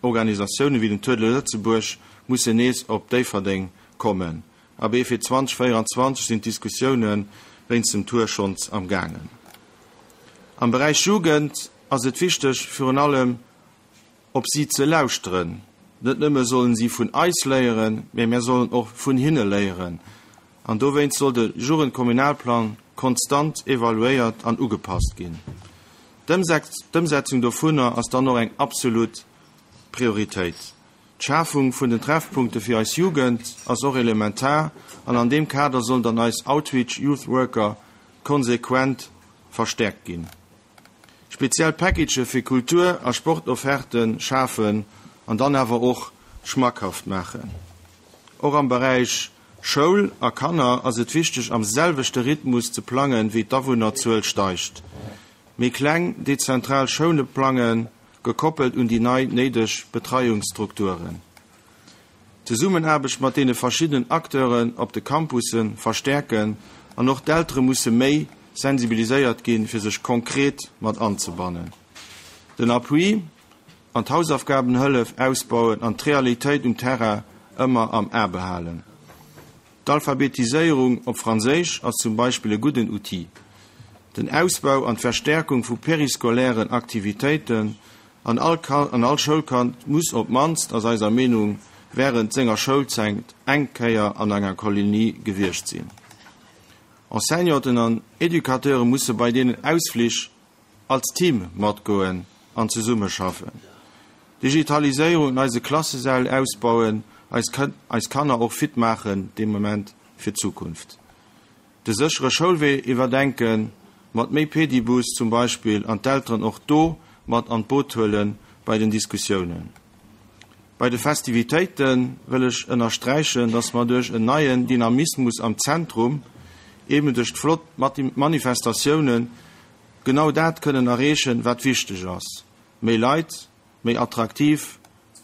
S4: Organisatioune wéi den Tour de Lëtzebuerg mussen nees op Déifferdeng kommen. Abee, fir zweedausendvéierenzwanzeg sinn d'Diskussioune wéinst dem Tour schonns am gaangen. Am Beräich Jugend ass et wichteg, virun allem op si ze lauschteren. Net nëmme sollen si vun eis léieren, mee mir sollen och vun hinne léieren. An dowéinst soll de Jugendkommunalplang konstant evaluéiert an ugepasst ginn. D'Ëmsetzung dovunner ass dann och eng absolut Prioritéit. D'Schafung vun den Treffpunkte fir eis Jugend ass och elementar an an deem Kader sollen dann eis Outreach Youth Worker konsequent verstäerkt ginn. Speziell Packagë fir Kultur a Sportofferte schafen an dann awer och schmackhaft maachen. Och am Beräich Schoul a Kanner ass et wichteg am selwechte Rhythmus ze plangen, wéi d'Awunnerzuel steigt. Méi kleng dezentral Schoule plangen, gekoppelt un déi nei néideg Betreiungsstrukturen. D'Zesummenaarbecht mat deene verschiddenen Acteuren op de Campusse verstäerken an och d'Eltere musse méi sensibiliséiert ginn, fir sech konkret mat anzebannen. Den Appui an d'Hausaufgabenhëllef ausbauen an d'Realitéit um Terrain ëmmer am A behalen. D'Alphabetiséierung op Franséisch ass zum Beispill e gudden Outil. Den Ausbau an d'Verstärkung vu periscolairen Aktivitéiten an all an all Schoulkand muss op d'mannst, ass eiser Meenung, wärend senger Schoulzäit eng Kéier an enger Kolonie gewiescht sinn. Enseignanten an Educateure musse bei deenen Ausflich als Team matgoen an zesummeschaffen. Digitaliséierung an eise Klassesäll ausbauen, eis eis Kanner och fit maachen dee Moment fir d'Zukunft. De séchere Schoulwee iwwerdenken, mat méi Pedibus zum Beispill, an d'Elteren och do mat an d'Boot huele bei den Diskussiounen. Bei de Festivitéite wëll ech ënnersträichen, dass mer duerch en neien Dynamismus am Zentrum, eben duerch d'flott Manifestatiounen, genau dat kënnen erreechen, wat wichteg ass, méi Leit, méi attraktiv,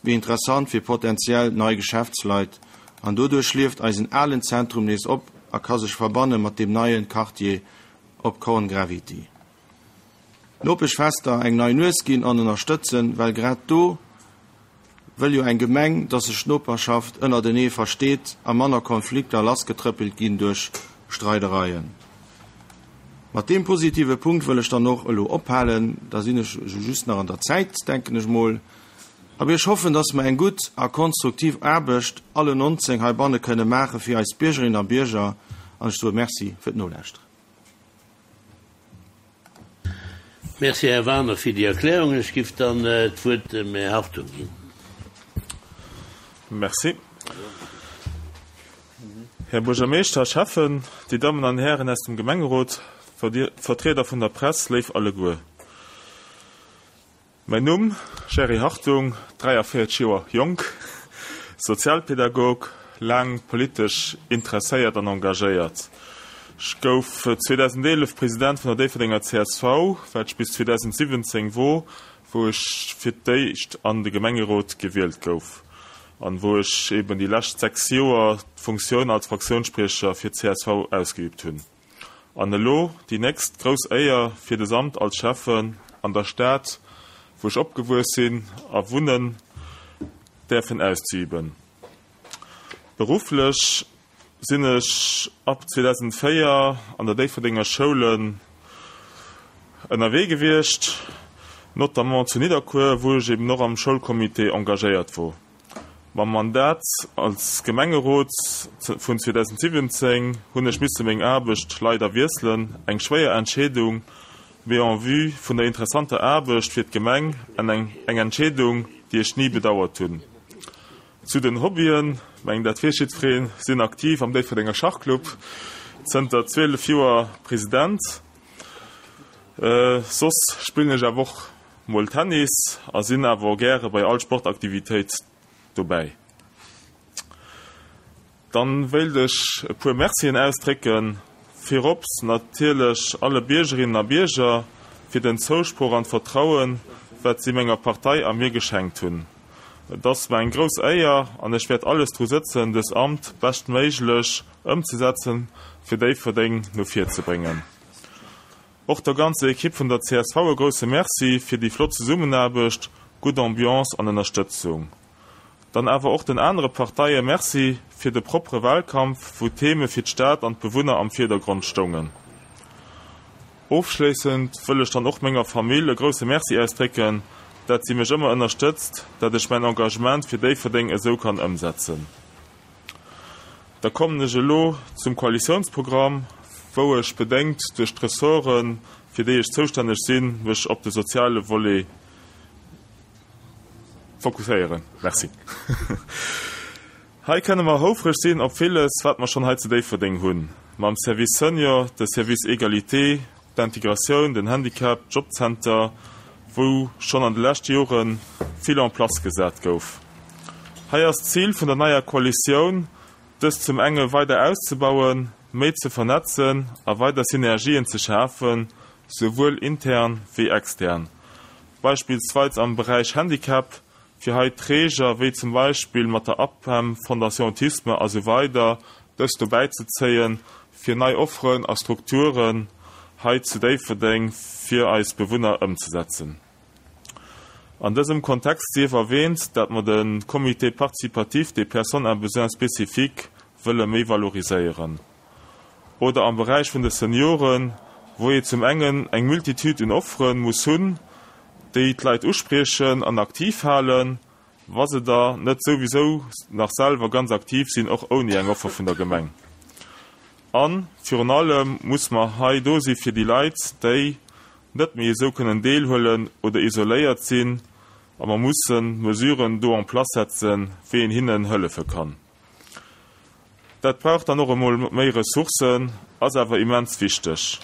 S4: méi interessant fir potenziell nei Geschäftsleit, an doduerch lieft eisen alen Zentrum nees op a ka sech verbanne mat deem neien Quartier op Korn Gravity. Nopeschfester eng nei Nues ginn an ënnerstëtzen, well grad do wëll jo eng Gemeng, dass sech d'Noperschaft ënnertenee versteet a manner Konflikter lassgetrëppelt ginn duerch Streidereien. Mat deem positive Punkt wëll ech dann och elo ophalen, da sinn ech just nach an der Zäit, denken ech mol. Awer ech hoffen, dass mer eng gutt a konstruktiv Aarbecht alle nonzéng heibanne kënne maache fir eis Biergerinnen a Bierger an ech soe Merci fir d'Nolauschteren.
S1: Merci, Här Waner, fir déi Erklärung. Ech giff dann d'Wuert dem Här Hartung ginn.
S5: Merci. Här Buergermeeschter, Schäffen, Dir Dammen an Hären aus dem Gemengerot, Vertrieder vun der Press, léif alleguer. Mäin Numm, Jerry Hartung, dräiavéierzeg Joer jonk, Sozialpädagog, laang politesch interesséiert an engagéiert. Ech gouf zweedausendeelef President vun der Déifferdenger C S V, wat ech bis zweedausensiwwenzéng wor, wou ech fir d'éischt an de Gemengerot gewielt gouf an wou ech eben déi lescht sechs Joer d'Funktioun als Fraktiounsspriecher fir d'C S V ausgeübt hunn. An elo déi nächst grouss Éier fir des Amt als Schäffen an der Stad, wou ech opgewuess sinn a wunnen, däerfen auszeüben. Berufflech sinn ech ab zweedausenvéier an der Déifferdenger Schoulen ënnerwee gewiescht, notamment zu Nidderkuer, wou ech eben och am Schoulcomité engagéiert wor. Mam Mandat als Gemengerot vun zweedausensiwwenzéng hunn ech misse meng Aarbecht leider wiesselen, eng schwéier Entscheedung, mee en vue vun der interessanter Aarbecht fir d'Gemeng eng Entscheedung, déi ech ni bedauert hunn. Zu den Hobbyen, mengen dat weess jiddwereen, sinn aktiv am Déifferdenger Schachclub, zënter zwielef Joer President. Soss spillen ech awer och mol Tennis a sinn awer och gäre bei all Sportaktivitéit dobäi. Dann wéilt ech e puer Mercien ausdrécken, virops natierlech alle Biergerinnen a Bierger fir den Zousproch an d'Vertrauen, wat si menger Partei a mir geschenkt hunn. Et ass mer eng grouss Éier an ech wäert alles dru sëtzen, dës Amt beschtméiglech ëmzesetzen, fir Déifferdeng no vir ze bréngen. Och der ganzer Ekipp vun der C S V e grousse Merci fir déi flott Zesummenaarbecht, gutt Ambiance an Ënnerstëtzung. Dann awer och den anere Parteie Merci fir de proppere Wahlkampf, wou d'Theme fir d'Stad an d'Bewunner am Virdergrond stoungen. Ofschléissend wëll ech dann och menger Famill e grousse Merci ausdrécken, dat si mech ëmmer ënnerstëtzt, dat ech mäin Engagement fir Déifferdeng esou kann ëmsetzen. Da kommen ech elo zum Koalitiounsprogramm, wou ech bedéngt duerch d'Ressorten, fir déi ech zoustänneg sinn, mech op de soziale Volet fokusséieren. Merci. Hei kënne mer houfreg sinn op villes, wat mer schonn hei zu Déifferdeng hunn. mam Service Senior, de Service Égalité, d'Integratioun, den Handicap, Jobcenter, wou schonn an de leschte Jore vill en place gesat gouf. Hei ass d'Zil vun der neier Koalitioun, dëst zum enge weider auszebauen, méi ze vernetzen a weider Synergien ze schafen, souwuel intern wéi extern. Beispillsweis am Beräich Handicap, fir hei Träger wéi zum Beispill mat der APEM, Fondation Autisme a sou weider dës dobäi ze zéien, fir nei Offeren a Strukturen hei zu Déifferdeng fir eis Bewunner ëmzesetzen. An dësem Kontext sief erwähnt, dat mer de Comité participatif des personnes à besoins spécifiques wëlle méi valoriséieren. Oder am Beräich vun de Senioren, wou ee zum engen eng Multitude un Offere muss hunn, déi d'Leit uspriechen an aktiv halen, wa se da net souwisou nach selwer ganz aktiv sinn, och ouni eng Offer vun der Gemeng. An virun allem muss mer hei do si fir déi Leit, déi net méi esou kënnen deelhuelen oder isoléiert sinn, a mer mussen Mesuren do en place setzen, wéi een hinnen hëllefe kann. Dat brauch dann och emol méi Ressourcen, ass awer immens wichteg.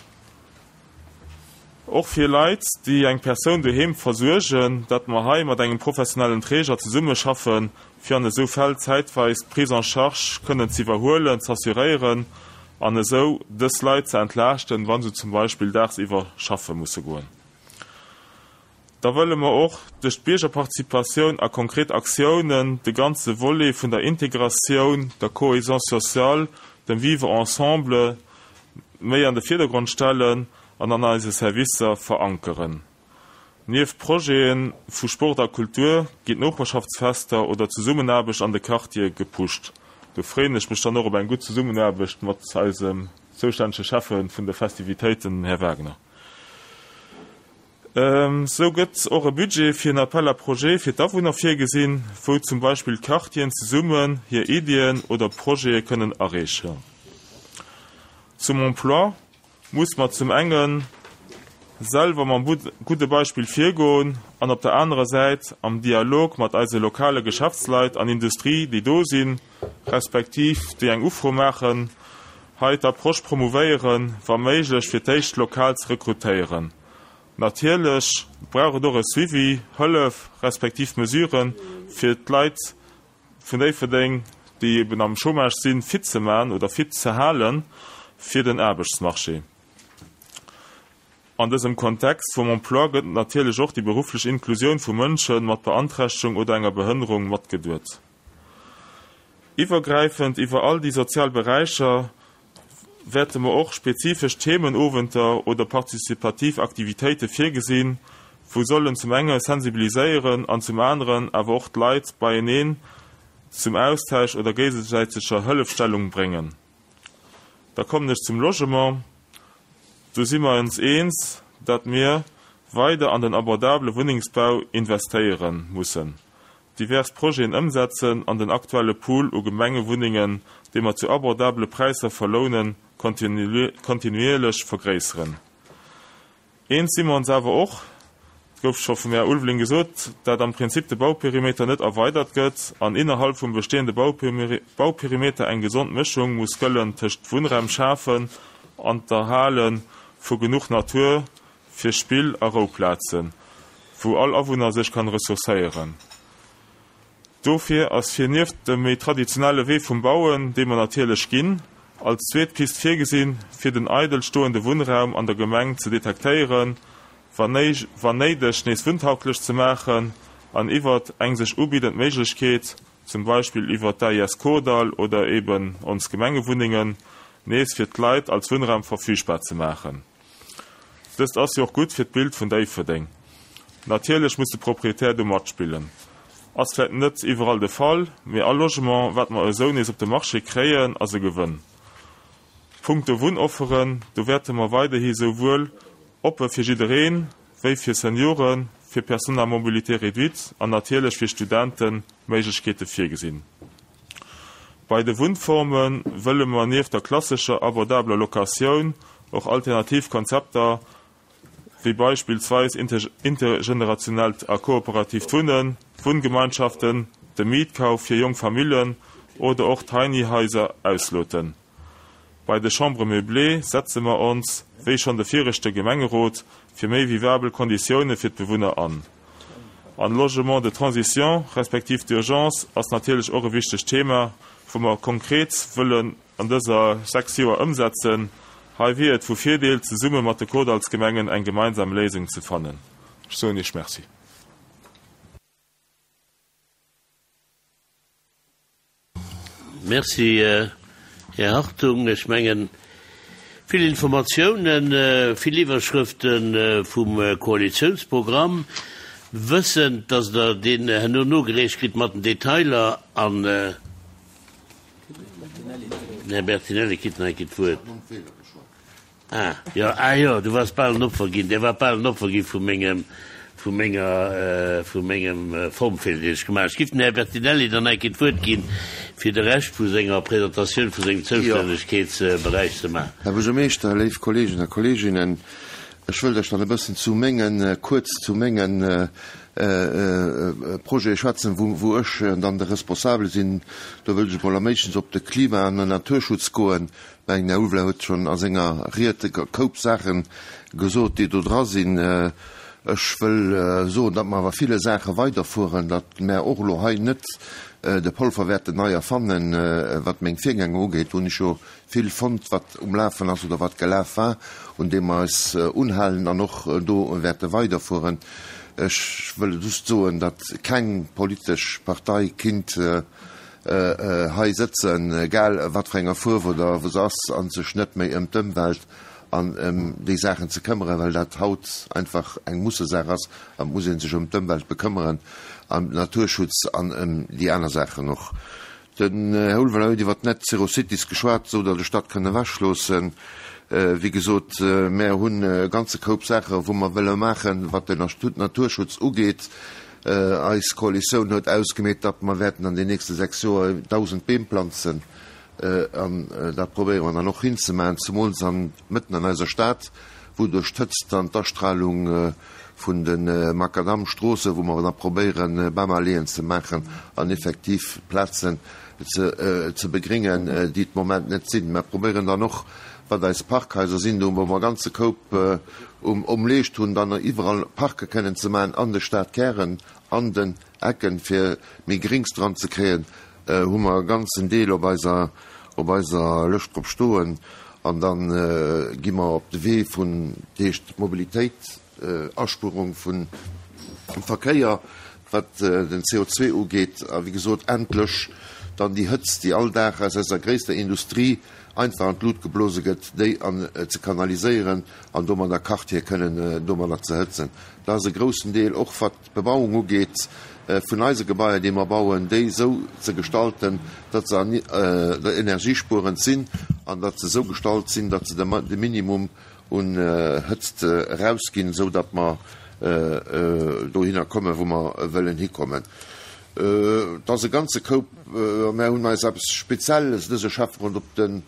S5: Och fir Leit, déi eng Persoun doheem versuergen, datt mer hei mat engem professionellen Träger zesummeschaffen, fir an esou Fäll zäitweis d'Prise en charge kënnen ze iwwerhuelen, z'assuréieren an esou dës Leit ze entlaaschten, wa se zum Beispill dagsiwwer schaffe musse goen. Da wëlle mer och duerch d'Biergerparticipatioun a konkret Aktiounen de ganze Volet vun der Integratioun, der Cohésion sociale, dem Vivre ensemble méi an de Virdergrond stellen an an eise Servicer verankeren. Nieft Projete vu Sport a Kultur ginn d'Noperschaftsfester oder Zesummenaarbecht an de Quartiere gepusht. Do freeën ech mech dann och op eng gutt Zesummenaarbecht mat eisem zoustännege Schäffe vun de Festivitéiten, Här Wagner. Sou gëtt och e Budget fir en Appel à projets fir d'Awunner virgesinn, wou zum Beispill d'Quartieren zesummen hir Iddien oder Projete kënnen areechen. Zum Emploi muss mer zum enge selwer mam gudde Beispill virgoen an op der anerer Säit am Dialog mat eise lokale Geschäftsleit an Industrie, déi do sinn, respektiv déi eng Ufro maachen, hei d'Approche promouvéieren, wa méiglech fir d'éischt lokal ze rekrutéieren. Natierlech brauch et och e Suivi, Hëllef respektiv Mesuren, fir d'Leit vun Déifferdeng, déi eben am Chômage sinn, fit ze man oder fit ze halen fir den Aarbechtsmarché. An dësem Kontext vum Emploi gëtt natierlech och déi berufflech Inklusioun vu Mënsche mat Beanträchtegung oder enger Behënnerung matgeduet. Iwwergräifend iwwer all déi sozial Beräicher wäerte mer och spezifesch Themenowenter oder participativ Aktivitéite virgesinn, wou sollen zum enge sensibiliséieren an zum aneren awer och d'Leit beieneen zum Austausch oder géigesäiteger Hëllefstellung bréngen. Da kommen ech zum Logement. Do si mer ons eens, datt mir weider an den abordabele Wunnengsbau investéiere mussen, divers Projeten ëmsetzen an den aktuelle Pool u Gemengewunnengen, déi mer zu abordabele Präisser verlounen, kontinuierlech vergréisseren. Eens si mer ons awer och, et gouf scho vum Här Ulveling gesot, dat am Prinzip de Bauperimeter net erweidert gëtt an innerhalb vum bestehende Bauperimeter eng gesond Mëschung muss gëllen tëscht Wunnraum schafen an d'Erhale vu genuch Natur fir Spill a Rouplazen, wou all Awunner sech kann ressourcéieren. Dofir ass fir nieft dem méi traditionelle Wee vum Bauen, dee mer natierlech ginn, als zweet Pist virgesinn, fir den eidel stoende Wunnraum an der Gemeng ze detektéieren, wann néideg nees wunntauglech ze maachen an iwwert eng sech ubiddend Méiglechkeet, zum Beispill iwwert d'AIS Kordall oder eben ons Gemengewunnengen, nees fir d'Leit als Wunnraum verfügbar ze maachen. Dëst ass jo och gutt fir d'Bild vun Déifferdeng. Natierlech muss de Proprietär do matspillen. Ass vläicht net iwwerall de Fall, mee all Logement, wat mer esou nees op de Marché kréien, ass e Gewënn. Punkto Wunnofferen, do wäerte mer weiderhi souwuel oppe fir jiddereen, wéi fir Senioren, fir Personnes à mobilité réduite an natierlech fir Studenten Méiglechkeete virgesinn. Bei de Wunnforme wëlle mer nieft der klassescher abordabeler Locatioun och alternativ Konzepter wéi beispillsweis intergenerationellt a kooperatiivt Wunnen, Wunngemeinschaften, de Mietkauf fir jonk Familljen oder och Tiny Haiser ausloten. Bei de Chambres meublées setze mer ons, wéi schonn de viregte Gemengerot, fir méi vivabel Konditioune fir d'Bewunner an. An Logement de transition respektiv d'urgence ass natierlech och e wichtegt Thema, wou mer konkret wëllen an dëser sechs Joer ëmsetzen. Hei wier et vu Virdeel, zesumme mat de Kordallsgemengen eng gemeinsam Léisung ze fannen. Ech soen Iech Merci.
S1: Merci, Här Hartung. Ech mengen, vill Informatiounen, vill Iwwerschrëfte vum Koalitiounsprogramm, wëssend, dass Der deen herno nogereecht kritt mat den Detailer an. Den Här Bertinelli kritt nach eng Kéier d'Wuert. Ah, jo, ah jo, du waars bal en Opfer ginn, Der waart bal en Opfer gi vu mengem, vu menger, vu mengem Formfeeler, deen ech gemaach hunn. Ech giff dem Här Bertinelli dann eng Kéier d'Wuert ginn, fir de Rescht vu senger Presentatioun vu sengem Zoustännegkeetsberäich ze maachen.
S2: Här Buergermeeschter, léif Kolleegen a Kolleeginnen, ech wëllt Iech dann e bëssen zu mengen, kuerz zu mengen Projete schwätzen, wou, wou ech dann de Responsabele sinn. Do wëllt ech emol am éischtens op de Klima an den Naturschutz goen. Mengen, Här Ulveler huet schonn a senger Ried e Koup Saache gesot, déi do dra sinn. Ech wëll soen, datt mer awer ville Saache weiderfueren, datt mär och elo hei net de Polver wäerten nei erfannen. Wat meng Virgänger ugeet, hunn ech jo vill fonnt, wat um Lafen ass oder wat gelaf war, un deem mer eis unhalen an och do wäerte weiderfueren. Ech wëll just soen, datt keng politesch Partei kinnt hei sëtzen, egal wat fir enger Fuerf oder wou se ass, a sech net méi ëm d'Ëmwelt an ëm déi Saachen ze këmmeren, well dat haut einfach eng Mussesaach ass an et muss ee sech ëm d'Ëmwelt bekëmmeren, ëm den Naturschutz an ëm déi aner Saachen och. Den Här Ulveler huet iwwer d'Net Zero Cities geschwat, esou datt ech dat kënn ewechloossen. Wéi gesot, mär hunn e ganze Koup Saache wou mer wëlle maachen, wat den Naturschutz ugeet. Eis Koalitioun huet ausgemeet, datt mer wäerten an den nächste sechs Joer dausend Beem planzen. An dat probéiere mer dann och hinzemaachen, zemools an mëtten an eiser Stad, wou duerch d'Hëtzt an d'Astralung vun de Makadamstroossen, wou mer da probéieren, Bamalleeën ze maachen an effektiv Plazen ze begringen, déi et Moment net sinn. Mer probéieren dann och, wat eis Parkhaiser sinn, do wou mer e ganze Koup um Leescht hunn, dann iwwerall Parke kënnen ze maachen an de Stadkären, an den Ecken, fir méi Grings dran ze kréien, hu mer e ganzen Deel op eiser, op eiser Lëscht drop stoen. An da gi mer op de Wee vun, dat heescht Mobilitéit, Aspuerung vum Verkéier, wat den C O zwee ugeet, a wéi gesot endlech dann déi Hëtzt, déi all Dag aus eiser gréisster Industrie einfach an d'Lut geblose gëtt, déi an ze kanaliséieren an domadder Quartiere kënnen domadder ze hëtzen. Dat ass e groussen Deel, och wat d'Bebauung ugeet, vun eise Gebaier, déi mer bauen, déi esou ze gestalten, datt se energiespuerend sinn an datt se esou gestalt sinn, datt se de Minimum un Hëtzt erausginn, esou datt mer dohinner kommen, wou mer wëllen hikommen. Et ass e ganze Koup, a mär hunn eis eppes Spezielles dëse Schäfferot op den,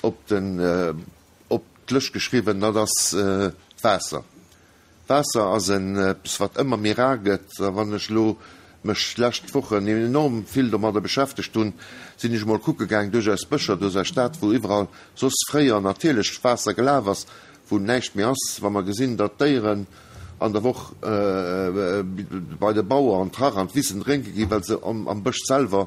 S2: op den, op d'Lëscht geschriwwen, dat ass d'Waasser. D'Waasser ass en eppes, wat ëmmer méi rar gëtt. A wann ech elo mech d'lescht Wochen enorm vill domadder beschäftegt hunn, sinn ech emol kucke gaang duerch eis Bëscher, duerch eis Stad, wou iwwerall soss fréier natierlecht Waasser gelaf ass, wou näischt méi ass. Wa mer gesinn, datt d'Déieren an der Woch bei de Bauer an d'Rach an d'Wissen drénke ginn, well se am Bësch selwer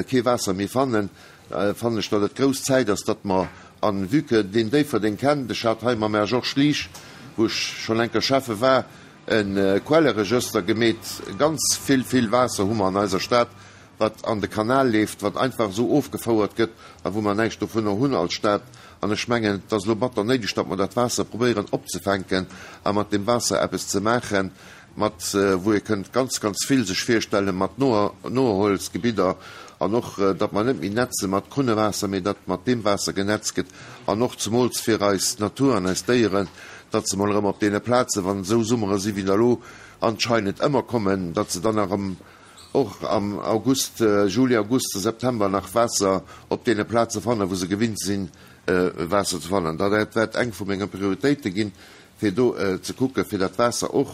S2: kee Waasser méi fannen, fannen ech, datt et grouss Zäit ass, datt mer, an vue que deen Déifferdeng kennt, ech hat hei mam Här Georges Liesch, wou ech schonn enker Schäffe war, e Quelleregëster gemeet, ganz vill, vill Waasser hu mer an eiser Stad, wat an de Kanal leeft, wat einfach esou ofgefouert gëtt a wou mer näischt dovunner hunn als Stad. An ech mengen, et ass elo batter néideg, datt mer dat Waasser probéieren opzefänken a mat deem Waasser eppes ze maachen, mat wou ee kënnt ganz, ganz vill sech virstellen, mat Noerholzgebidder an och, datt mer net méi netze mat Krunnewaasser, mee datt mat deem Waasser genetzt gëtt an och zemools fir eis Natur an eis Déieren, datt se mol erëm op deene Plazen, wann esou Summere si wéi der elo anscheinend ëmmer kommen, datt se dann erëm och am August, Juli, August, September nach Waasser op deene Plaze fannen, wou se gewinnt sinn, Waasser ze fannen. Dat wäert eng vu menge Prioritéite ginn, fir do ze kucken, fir dat Waasser och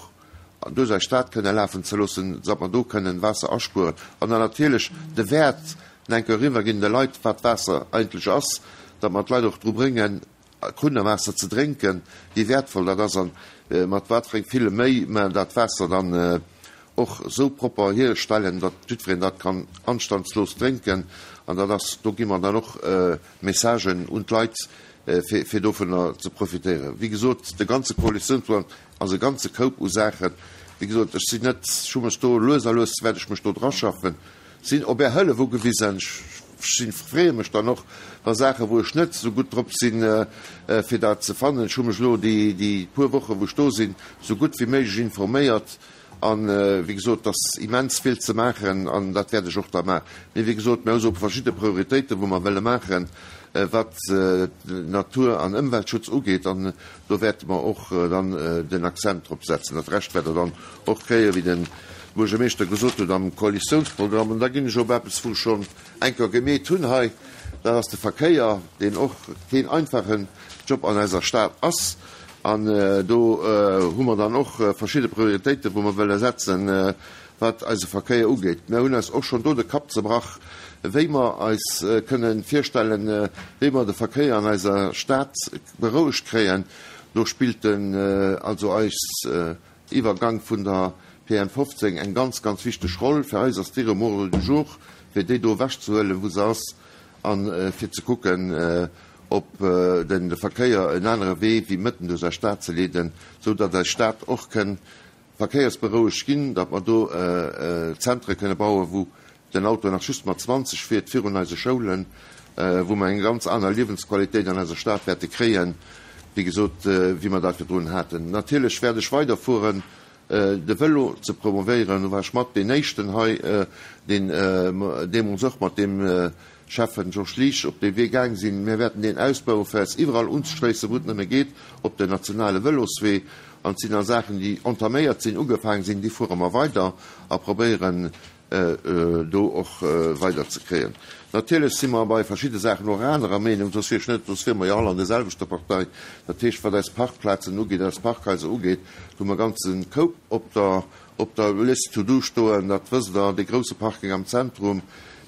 S2: duerch eis Stad kënne lafen ze loossen, datt mer do kënnen Waasser aspueren. An dann natierlech de Wäert enke eriwwerginn de Leit, wat Waasser eigentlech ass, datt mer d'Leit och dru bréngen, Krunnerwaasser ze drénken, wéi wäertvoll dat ass an mat wat fir eng ville Méi mer dat Waasser dann och esou propper hierstellen, datt jiddwereen dat kann anstandslos drénken. An dat ass, do gi mer dann och Messagen un d'Leit, fir, fir dovunner ze profitéieren. Wéi gesot, de ganze Koalitiounsprogramm ass e ganze Koup u Saachen. Wéi gesot, ech sinn net, ech hu mech do lues a lues wäert ech mech do draschaffen, sinn op Är Hëllef ugewisen. Ech sinn, freeë mech dann och, wa Saachen, wou ech net esou gutt drop sinn, fir dat ze fannen. Ech hu mech elo déi, déi puer Wochen, wou ech do sinn, esou gutt wéi méiglech informéiert. An, wéi gesot, et ass immens vill ze maachen an dat wäert ech och da maachen. Mee wéi gesot, mir hu sou verschidde Prioritéiten, wou mer wëlle maachen, wat Natur an Ëmweltschutz ugeet. An do wäerte mer och dann den Accent drop setzen. Dat Rescht wäert Der dann och kréien, wéi de Buergermeeschter gesot huet, am Koalitiounsprogramm. An da ginn ech op eppes, wou ech schonn eng Kéier gemeet hunn hei, dat ass de Verkéier, deen och keen einfachen Job an eiser Stad ass. An do hu mer dann och verschidde Prioritéiten, wou mer wëlle setzen, wat eise Verkéier ugeet. Mir hunn eis och schonn do de Kapp zebrach, wéi mer eis kënnen virstellen, wéi mer de Verkéier an eiser Stad berouegt kréien. Do spillt den, also eis Iwwergank vun der P N fofzéng eng ganz, ganz wichteg Roll. Fir eis ass déi um Ordre du jour, fir déi do ewechzehuelen, wou se ass, a fir ze kucken, op den de Verkéier en anere Wee wéi mëtten duerch eis Stad ze leeden, sou datt eis Stad och kënn verkéiersberouegt ginn, datt mer do Zentre kënne bauen, wou den Auto nach just mat zwanzeg fiert virun eise Schoulen, wou mer eng ganz aner Liewensqualitéit an eiser Stad wäerte kréien, wéi gesot, wéi mer dat virdrun haten. Natierlech wäert ech weiderfueren, de Vélo ze promovéieren. Do war ech mat deen éischten hei, deen deemools och mat deem Schäffen Georges Liesch op dee Wee gaang sinn. Mir wäerten deen ausbauen, fir eis iwwerall unzeschléissen, wou et nëmme geet, op den nationale Véloswee. An et sinn da Saachen, déi entaméiert sinn, ugefaangen sinn, déi fuere mer weider a probéieren do och weider ze kréien. Natierlech si mer bei verschidde Saachen och anerer Meenung, soss wier ech net, soss wiere mer jo all an der selwechter Partei. Dat heescht, wat eis Parkplazen ugeet, eis Parkhaiser ugeet, do hu mer ganze Koup op der, op der Liste to do stoen, dat wësst Der, dee grousse Parking am Zentrum.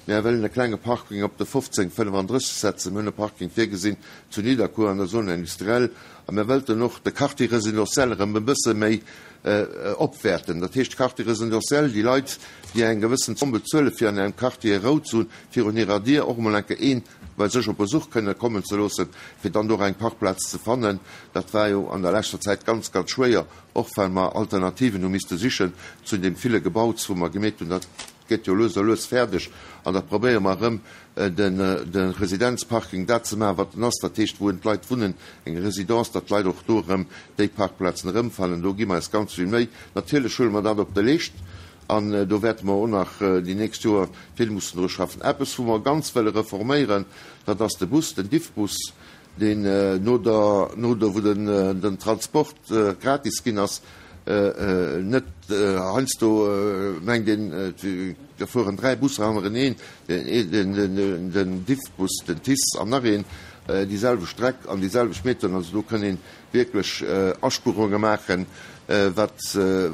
S2: Mir wëllen e klenge Parking op de fofzéng fënnefandrësseg setzen. Mir hunn e Parking virgesinn zu Nidderkuer an der Zone industrielle. A mir wëllten och de Quartier résidentiel erëm e bësse méi opwäerten. Dat heescht, Quartier résidentiel, déi Leit, déi eng gewëssen Zomm bezuelen, fir an engem Quartier Rou ze hunn, virun hirer Dier och emol eng Kéier een bei sech op Besuch kënne kommen ze loossen, fir dann do och eng Parkplaz ze fannen. Dat war jo an der leschter Zäit ganz, ganz schwéier, och well mer Alternativen hu misste sichen zu deem ville Gebauts, wou mer gemeet hunn, dat gëtt jo lues a lues fäerdeg. An da probéiere mer erëm den, de Residenzparking dat ze maachen, wat en ass, dat heescht, wou d'Leit wunnen, eng Résidence, datt d'Leit och do erëm déi Parkplazen erëmfannen. Do gi mer eis ganz vill Méi. Natierlech huele mer dat op de Leescht an do wäerte mer och nach déi nächst Joer vill mussen dru schaffen. Eppes, wou mer ganz wëlle reforméieren, dat ass de Bus, den Diffbus, deen no der, no der, wou den, den Transport gratis ginn ass, net heiansdo mengt een, da fueren dräi Busser hannereneen, den, den, den Diffbus, den T I S an nach een, déi selwecht Streck an déi selwecht Metern. Also do kënn een wierklech Aspuerunge maachen, wat,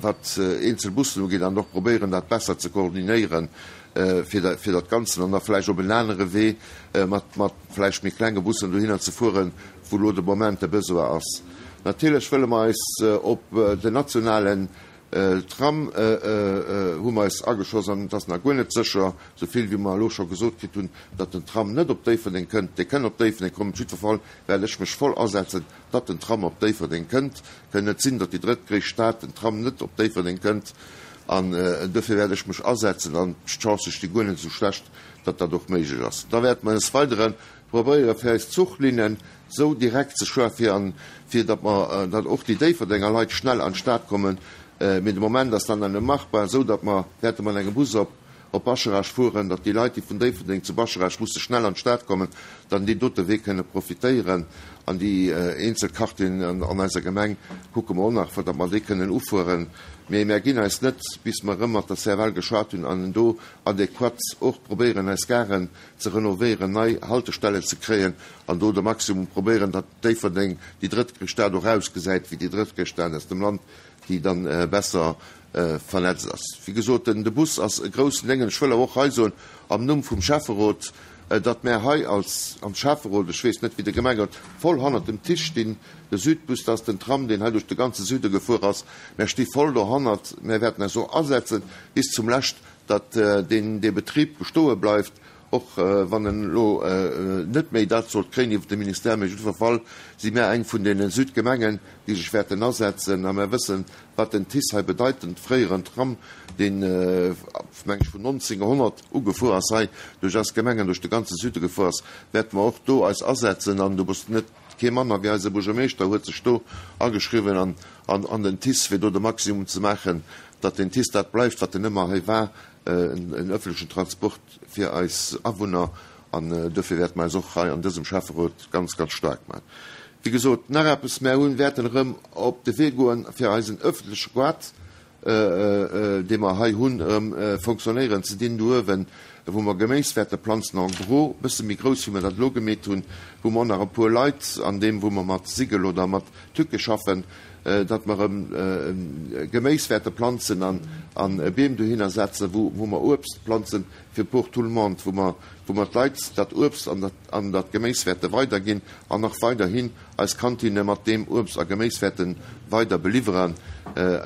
S2: wat eenzel Bussen ugeet, an och probéieren, dat besser ze koordinéieren, fir dat, fir dat Ganzen an da vläicht op en anere Wee mat, mat vläicht méi klenge Bussen dohinner ze fueren, wou lo de Moment de Besoin ass. Natierlech wëlle mer eis op den nationalen Tram hu mer eis ageschoss, an et ass nach guer net sécher, sou vill wéi mer elo scho gesot kritt hunn, datt den Tram net op Déifferdeng kënnt. Dee kënn op Déifferdeng kommen. Op jiddwer Fall wäert ech mech voll asetzen, datt den Tram op Déifferdeng kënnt. Kënn net sinn, datt déi drëttgréisst Stad den Tram net op Déifferdeng kënnt. An dofir wäert ech mech asetzen, an d'Chance sti guer net sou schlecht, datt dat och méiglech ass. Da wäert mer des Weidere probéiere fir eis Zuchlinnen sou direkt ze schaffen, fir an, fir datt mer, datt och déi Déifferdenger Leit schnell an d'Stad kommen. Mee de Moment ass dann net machbar, sou datt mer wäerte mat engem Bus op, op Bascharage fueren, datt déi Leit, déi vun Déifferdeng zu Bascharage musse schnell an d'Stad kommen, dann deen dote Wee kënne profitéieren. An déi eenzel Quartieren an, an eiser Gemeng kucke mer och nach, datt mer déi kënnen ufueren. Mee mir ginn eis net, bis mer erëm mat der C F L geschwat hunn an do adäquat och probéieren, eis Garen ze renovéieren, nei Haltestellen ze kréien an do de Maximum probéieren, datt Déifferdeng déi drëttgréisst Stad och ausgesäit wéi déi drëttgréisst Stad aus dem Land, déi dann besser vernetzt ass. Wéi gesot, den, de Bus ass e groussen Déngen. Ech wëll awer och hei soen, am Numm vum Schäfferot datt mär hei als am Schäfferot, ech weess net wéi de Gemengerot, voll hannert dem TICE stinn. De Südbus, dat ass den Tram, deen hei duerch de ganze Süde gefuer ass. Mär sti voll dohannert. Mär wäerten eis och asetzen bis zum Lescht, datt deen dee Betrib bestoe bleift, och wann en elo net méi dat sollt kréien iwwert de Ministère. Mee op jiddwer Fall si mär eng vun deene Südgemengen, déi sech wäerten asetzen. A mär wëssen, wat den TICE hei bedeit, den fréieren Tram, deen, meng ech, vun nonzénghonnert u gefuer ass hei duerch eis Gemeng an duerch de ganze Süde gefuer ass, wäerte mer och do eis asetzen. An do muss net kee manner wéi eise Buergermeeschter huet sech do ageschriwwen an, an, an den TICE, fir do de Maximum ze maachen, datt den TICE dat bleift, wat en ëmmer hei war, en öffentlechen Transport fir eis Awunner. An dofir wäerte mer eis och hei an dësem Schäfferot ganz, ganz staark maachen. Wéi gesot, nach eppes, Mär hunn, wäerten erëm op de Wee goen, fir eisen öffentleche Goart, dee mer hei hunn, erëm fonctionnéieren ze dinn do uewen, wou mer Geméis wäerte planzen, en gros, e bësse méi grouss, wéi mer dat elo gemeet hunn, wou mer och nach e puer Leit an deem, wou mer mat Sigel oder mat Tücke schaffen, datt mer erëm Geméis wäerte planzen an Beem dohinner setzen, wou mer Uebst planzen fir pour tout le monde, wou mer wou mer d'Leit dat Uebst an dat an dat Geméis wäerte weiderginn an och weiderhin eis Kantinne mat deem Uebst a Geméis wäerte weider beliwweren.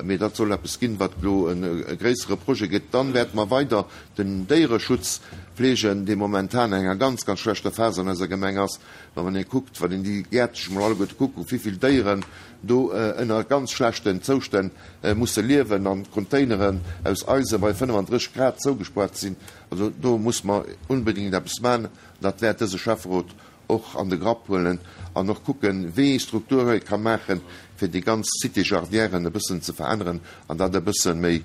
S2: Mee dat soll eppes ginn, wat elo e gréissere Projet gëtt. Dann wäerte mer weider den Déiereschutz fleegen, dee momentan an enger ganz, ganz schlechter Phas an eiser Gemeng ass. Well wann ee kuckt, wann een déi Gäert sech emol alleguerte kuckt, wéi vill Déieren do ënner ganz schlechten Zoustänn musse liewen an Containeren aus Eise bei fënnefandrësseg Grad zougespaart sinn, also do muss mer unbedingt eppes maachen. Dat wäert dëse Schäfferot och an de Grapp huelen an och kucken, wéi ee Struktur ee ka maachen, fir déi ganz Cité Jardinièren e bëssen ze veränneren an dat e bësse méi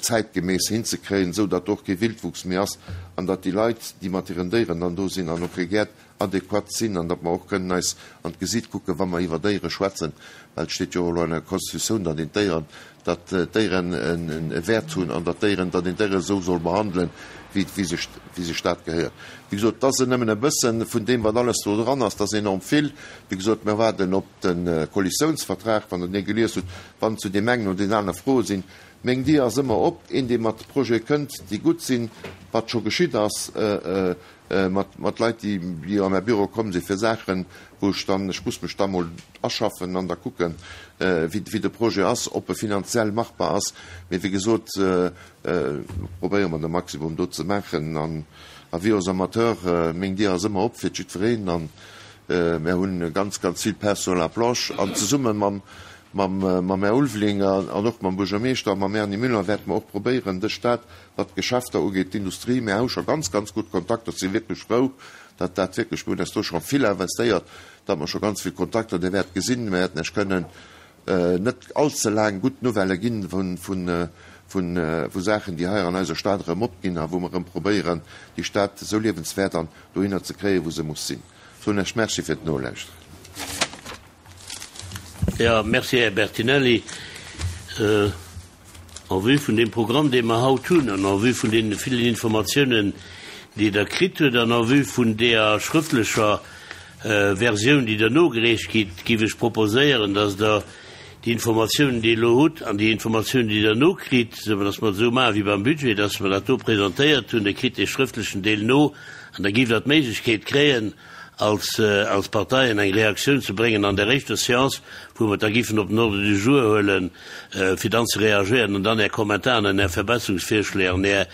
S2: zäitgemäss hinzekréien, esou datt och kee Wildwuchs méi ass an datt déi Leit, déi mat hiren Déieren dann do sinn an och hir Gäert adequat sinn an datt mer och kënnen eis an d'Gesiit kucken, wa mer iwwer Déiere schwätzen, well et steet jo och elo an der Constitutioun, datt een d'Déieren, datt d'Déieren e Wäert hunn an datt d'Déieren, datt een d'Déiere esou soll behandelen, wéi, wéi sech, wéi sech dat gehéiert. Wéi gesot, et ass nëmmen e bësse vun deem, wat alles do dran ass, dat ass enorm vill. Wéi gesot, mir waarden op de Koalitiounsvertrag, wann Der dee gelies hutt, wann zu deem engen oder deem anere Froe sinn. Meng Dier ass ëmmer op. Een, dee mat Projete kënnt, déi gutt sinn, wat scho geschitt ass, mat, mat Leit, déi, déi a mäi Büro komm si fir Saachen, wou ech dann, ech muss mech da mol aschaffen an da kucken, wéi, wéi de Projet ass, ob e finanziell machbar ass. Mee wéi gesot, probéiere mer de Maximum do ze maachen. An avis aux amateurs, meng Dier ass ëmmer op fir jiddwereen. An mär hunn ganz, ganz vill Pain sur la planche. An zesumme mam, mam, mam Här Ulveling an och mam Buergermeeschter a mam Erny Müller wäerte mer och probéieren, dës Stad, wat d'Geschäfter ugeet, d'Industrie, mir hu scho ganz, ganz gutt Kontakter, si wierklech frou, datt dat wierklech, mir hunn eis do scho vill investéiert, datt mer scho ganz vill Kontakter, Dir wäert gesinn, mir wäerten Iech kënnen net allze laang gutt Nouvellë ginn vun, vun, vun, vu Saachen, déi hei an eiser Stad erëm opginn a wou mer erëm probéieren, déi Stad esou liewenswäert an dohinner ze kréien, wou se muss sinn. Soen Iech Merci fir d'Nolauschteren.
S1: Jo, merci, Här Bertinelli. En vue vun deem Programm, dee mer haut hunn, an en vue vun deene villen Informatiounen, déi Der kritt hutt, an en vue vun deeër schrëftlecher Versioun, déi Der nogereecht kritt, géif ech proposéieren, dass Der déi Informatiounen, déi Der elo hutt, an déi Informatiounen, déi Der nokritt, dass mer et esou maache wéi beim Budget, dass mer dat do presentéiert hunn, Der kritt dee schrëftlechen Deel no, an da giff Der d'Méiglechkeet kréien, als als Parteien eng Reaktioun ze bréngen an der éischter Séance, wou mer et da giffen op den Ordre du jour huelen, fir dann ze reagéieren an dann Är Kommentaren an Är Verbesserungsvirschléi an Är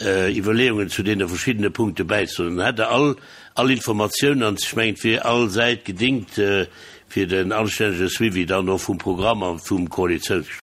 S1: Iwwerleeungen zu deene verschiddene Punkte bäizesoen. Dann hätt Der all all Informatiounen an ech mengen, et wier all Säit gedingt fir den anstännege Suivi dann och vum Programm a vum Koalitiounsgespréich.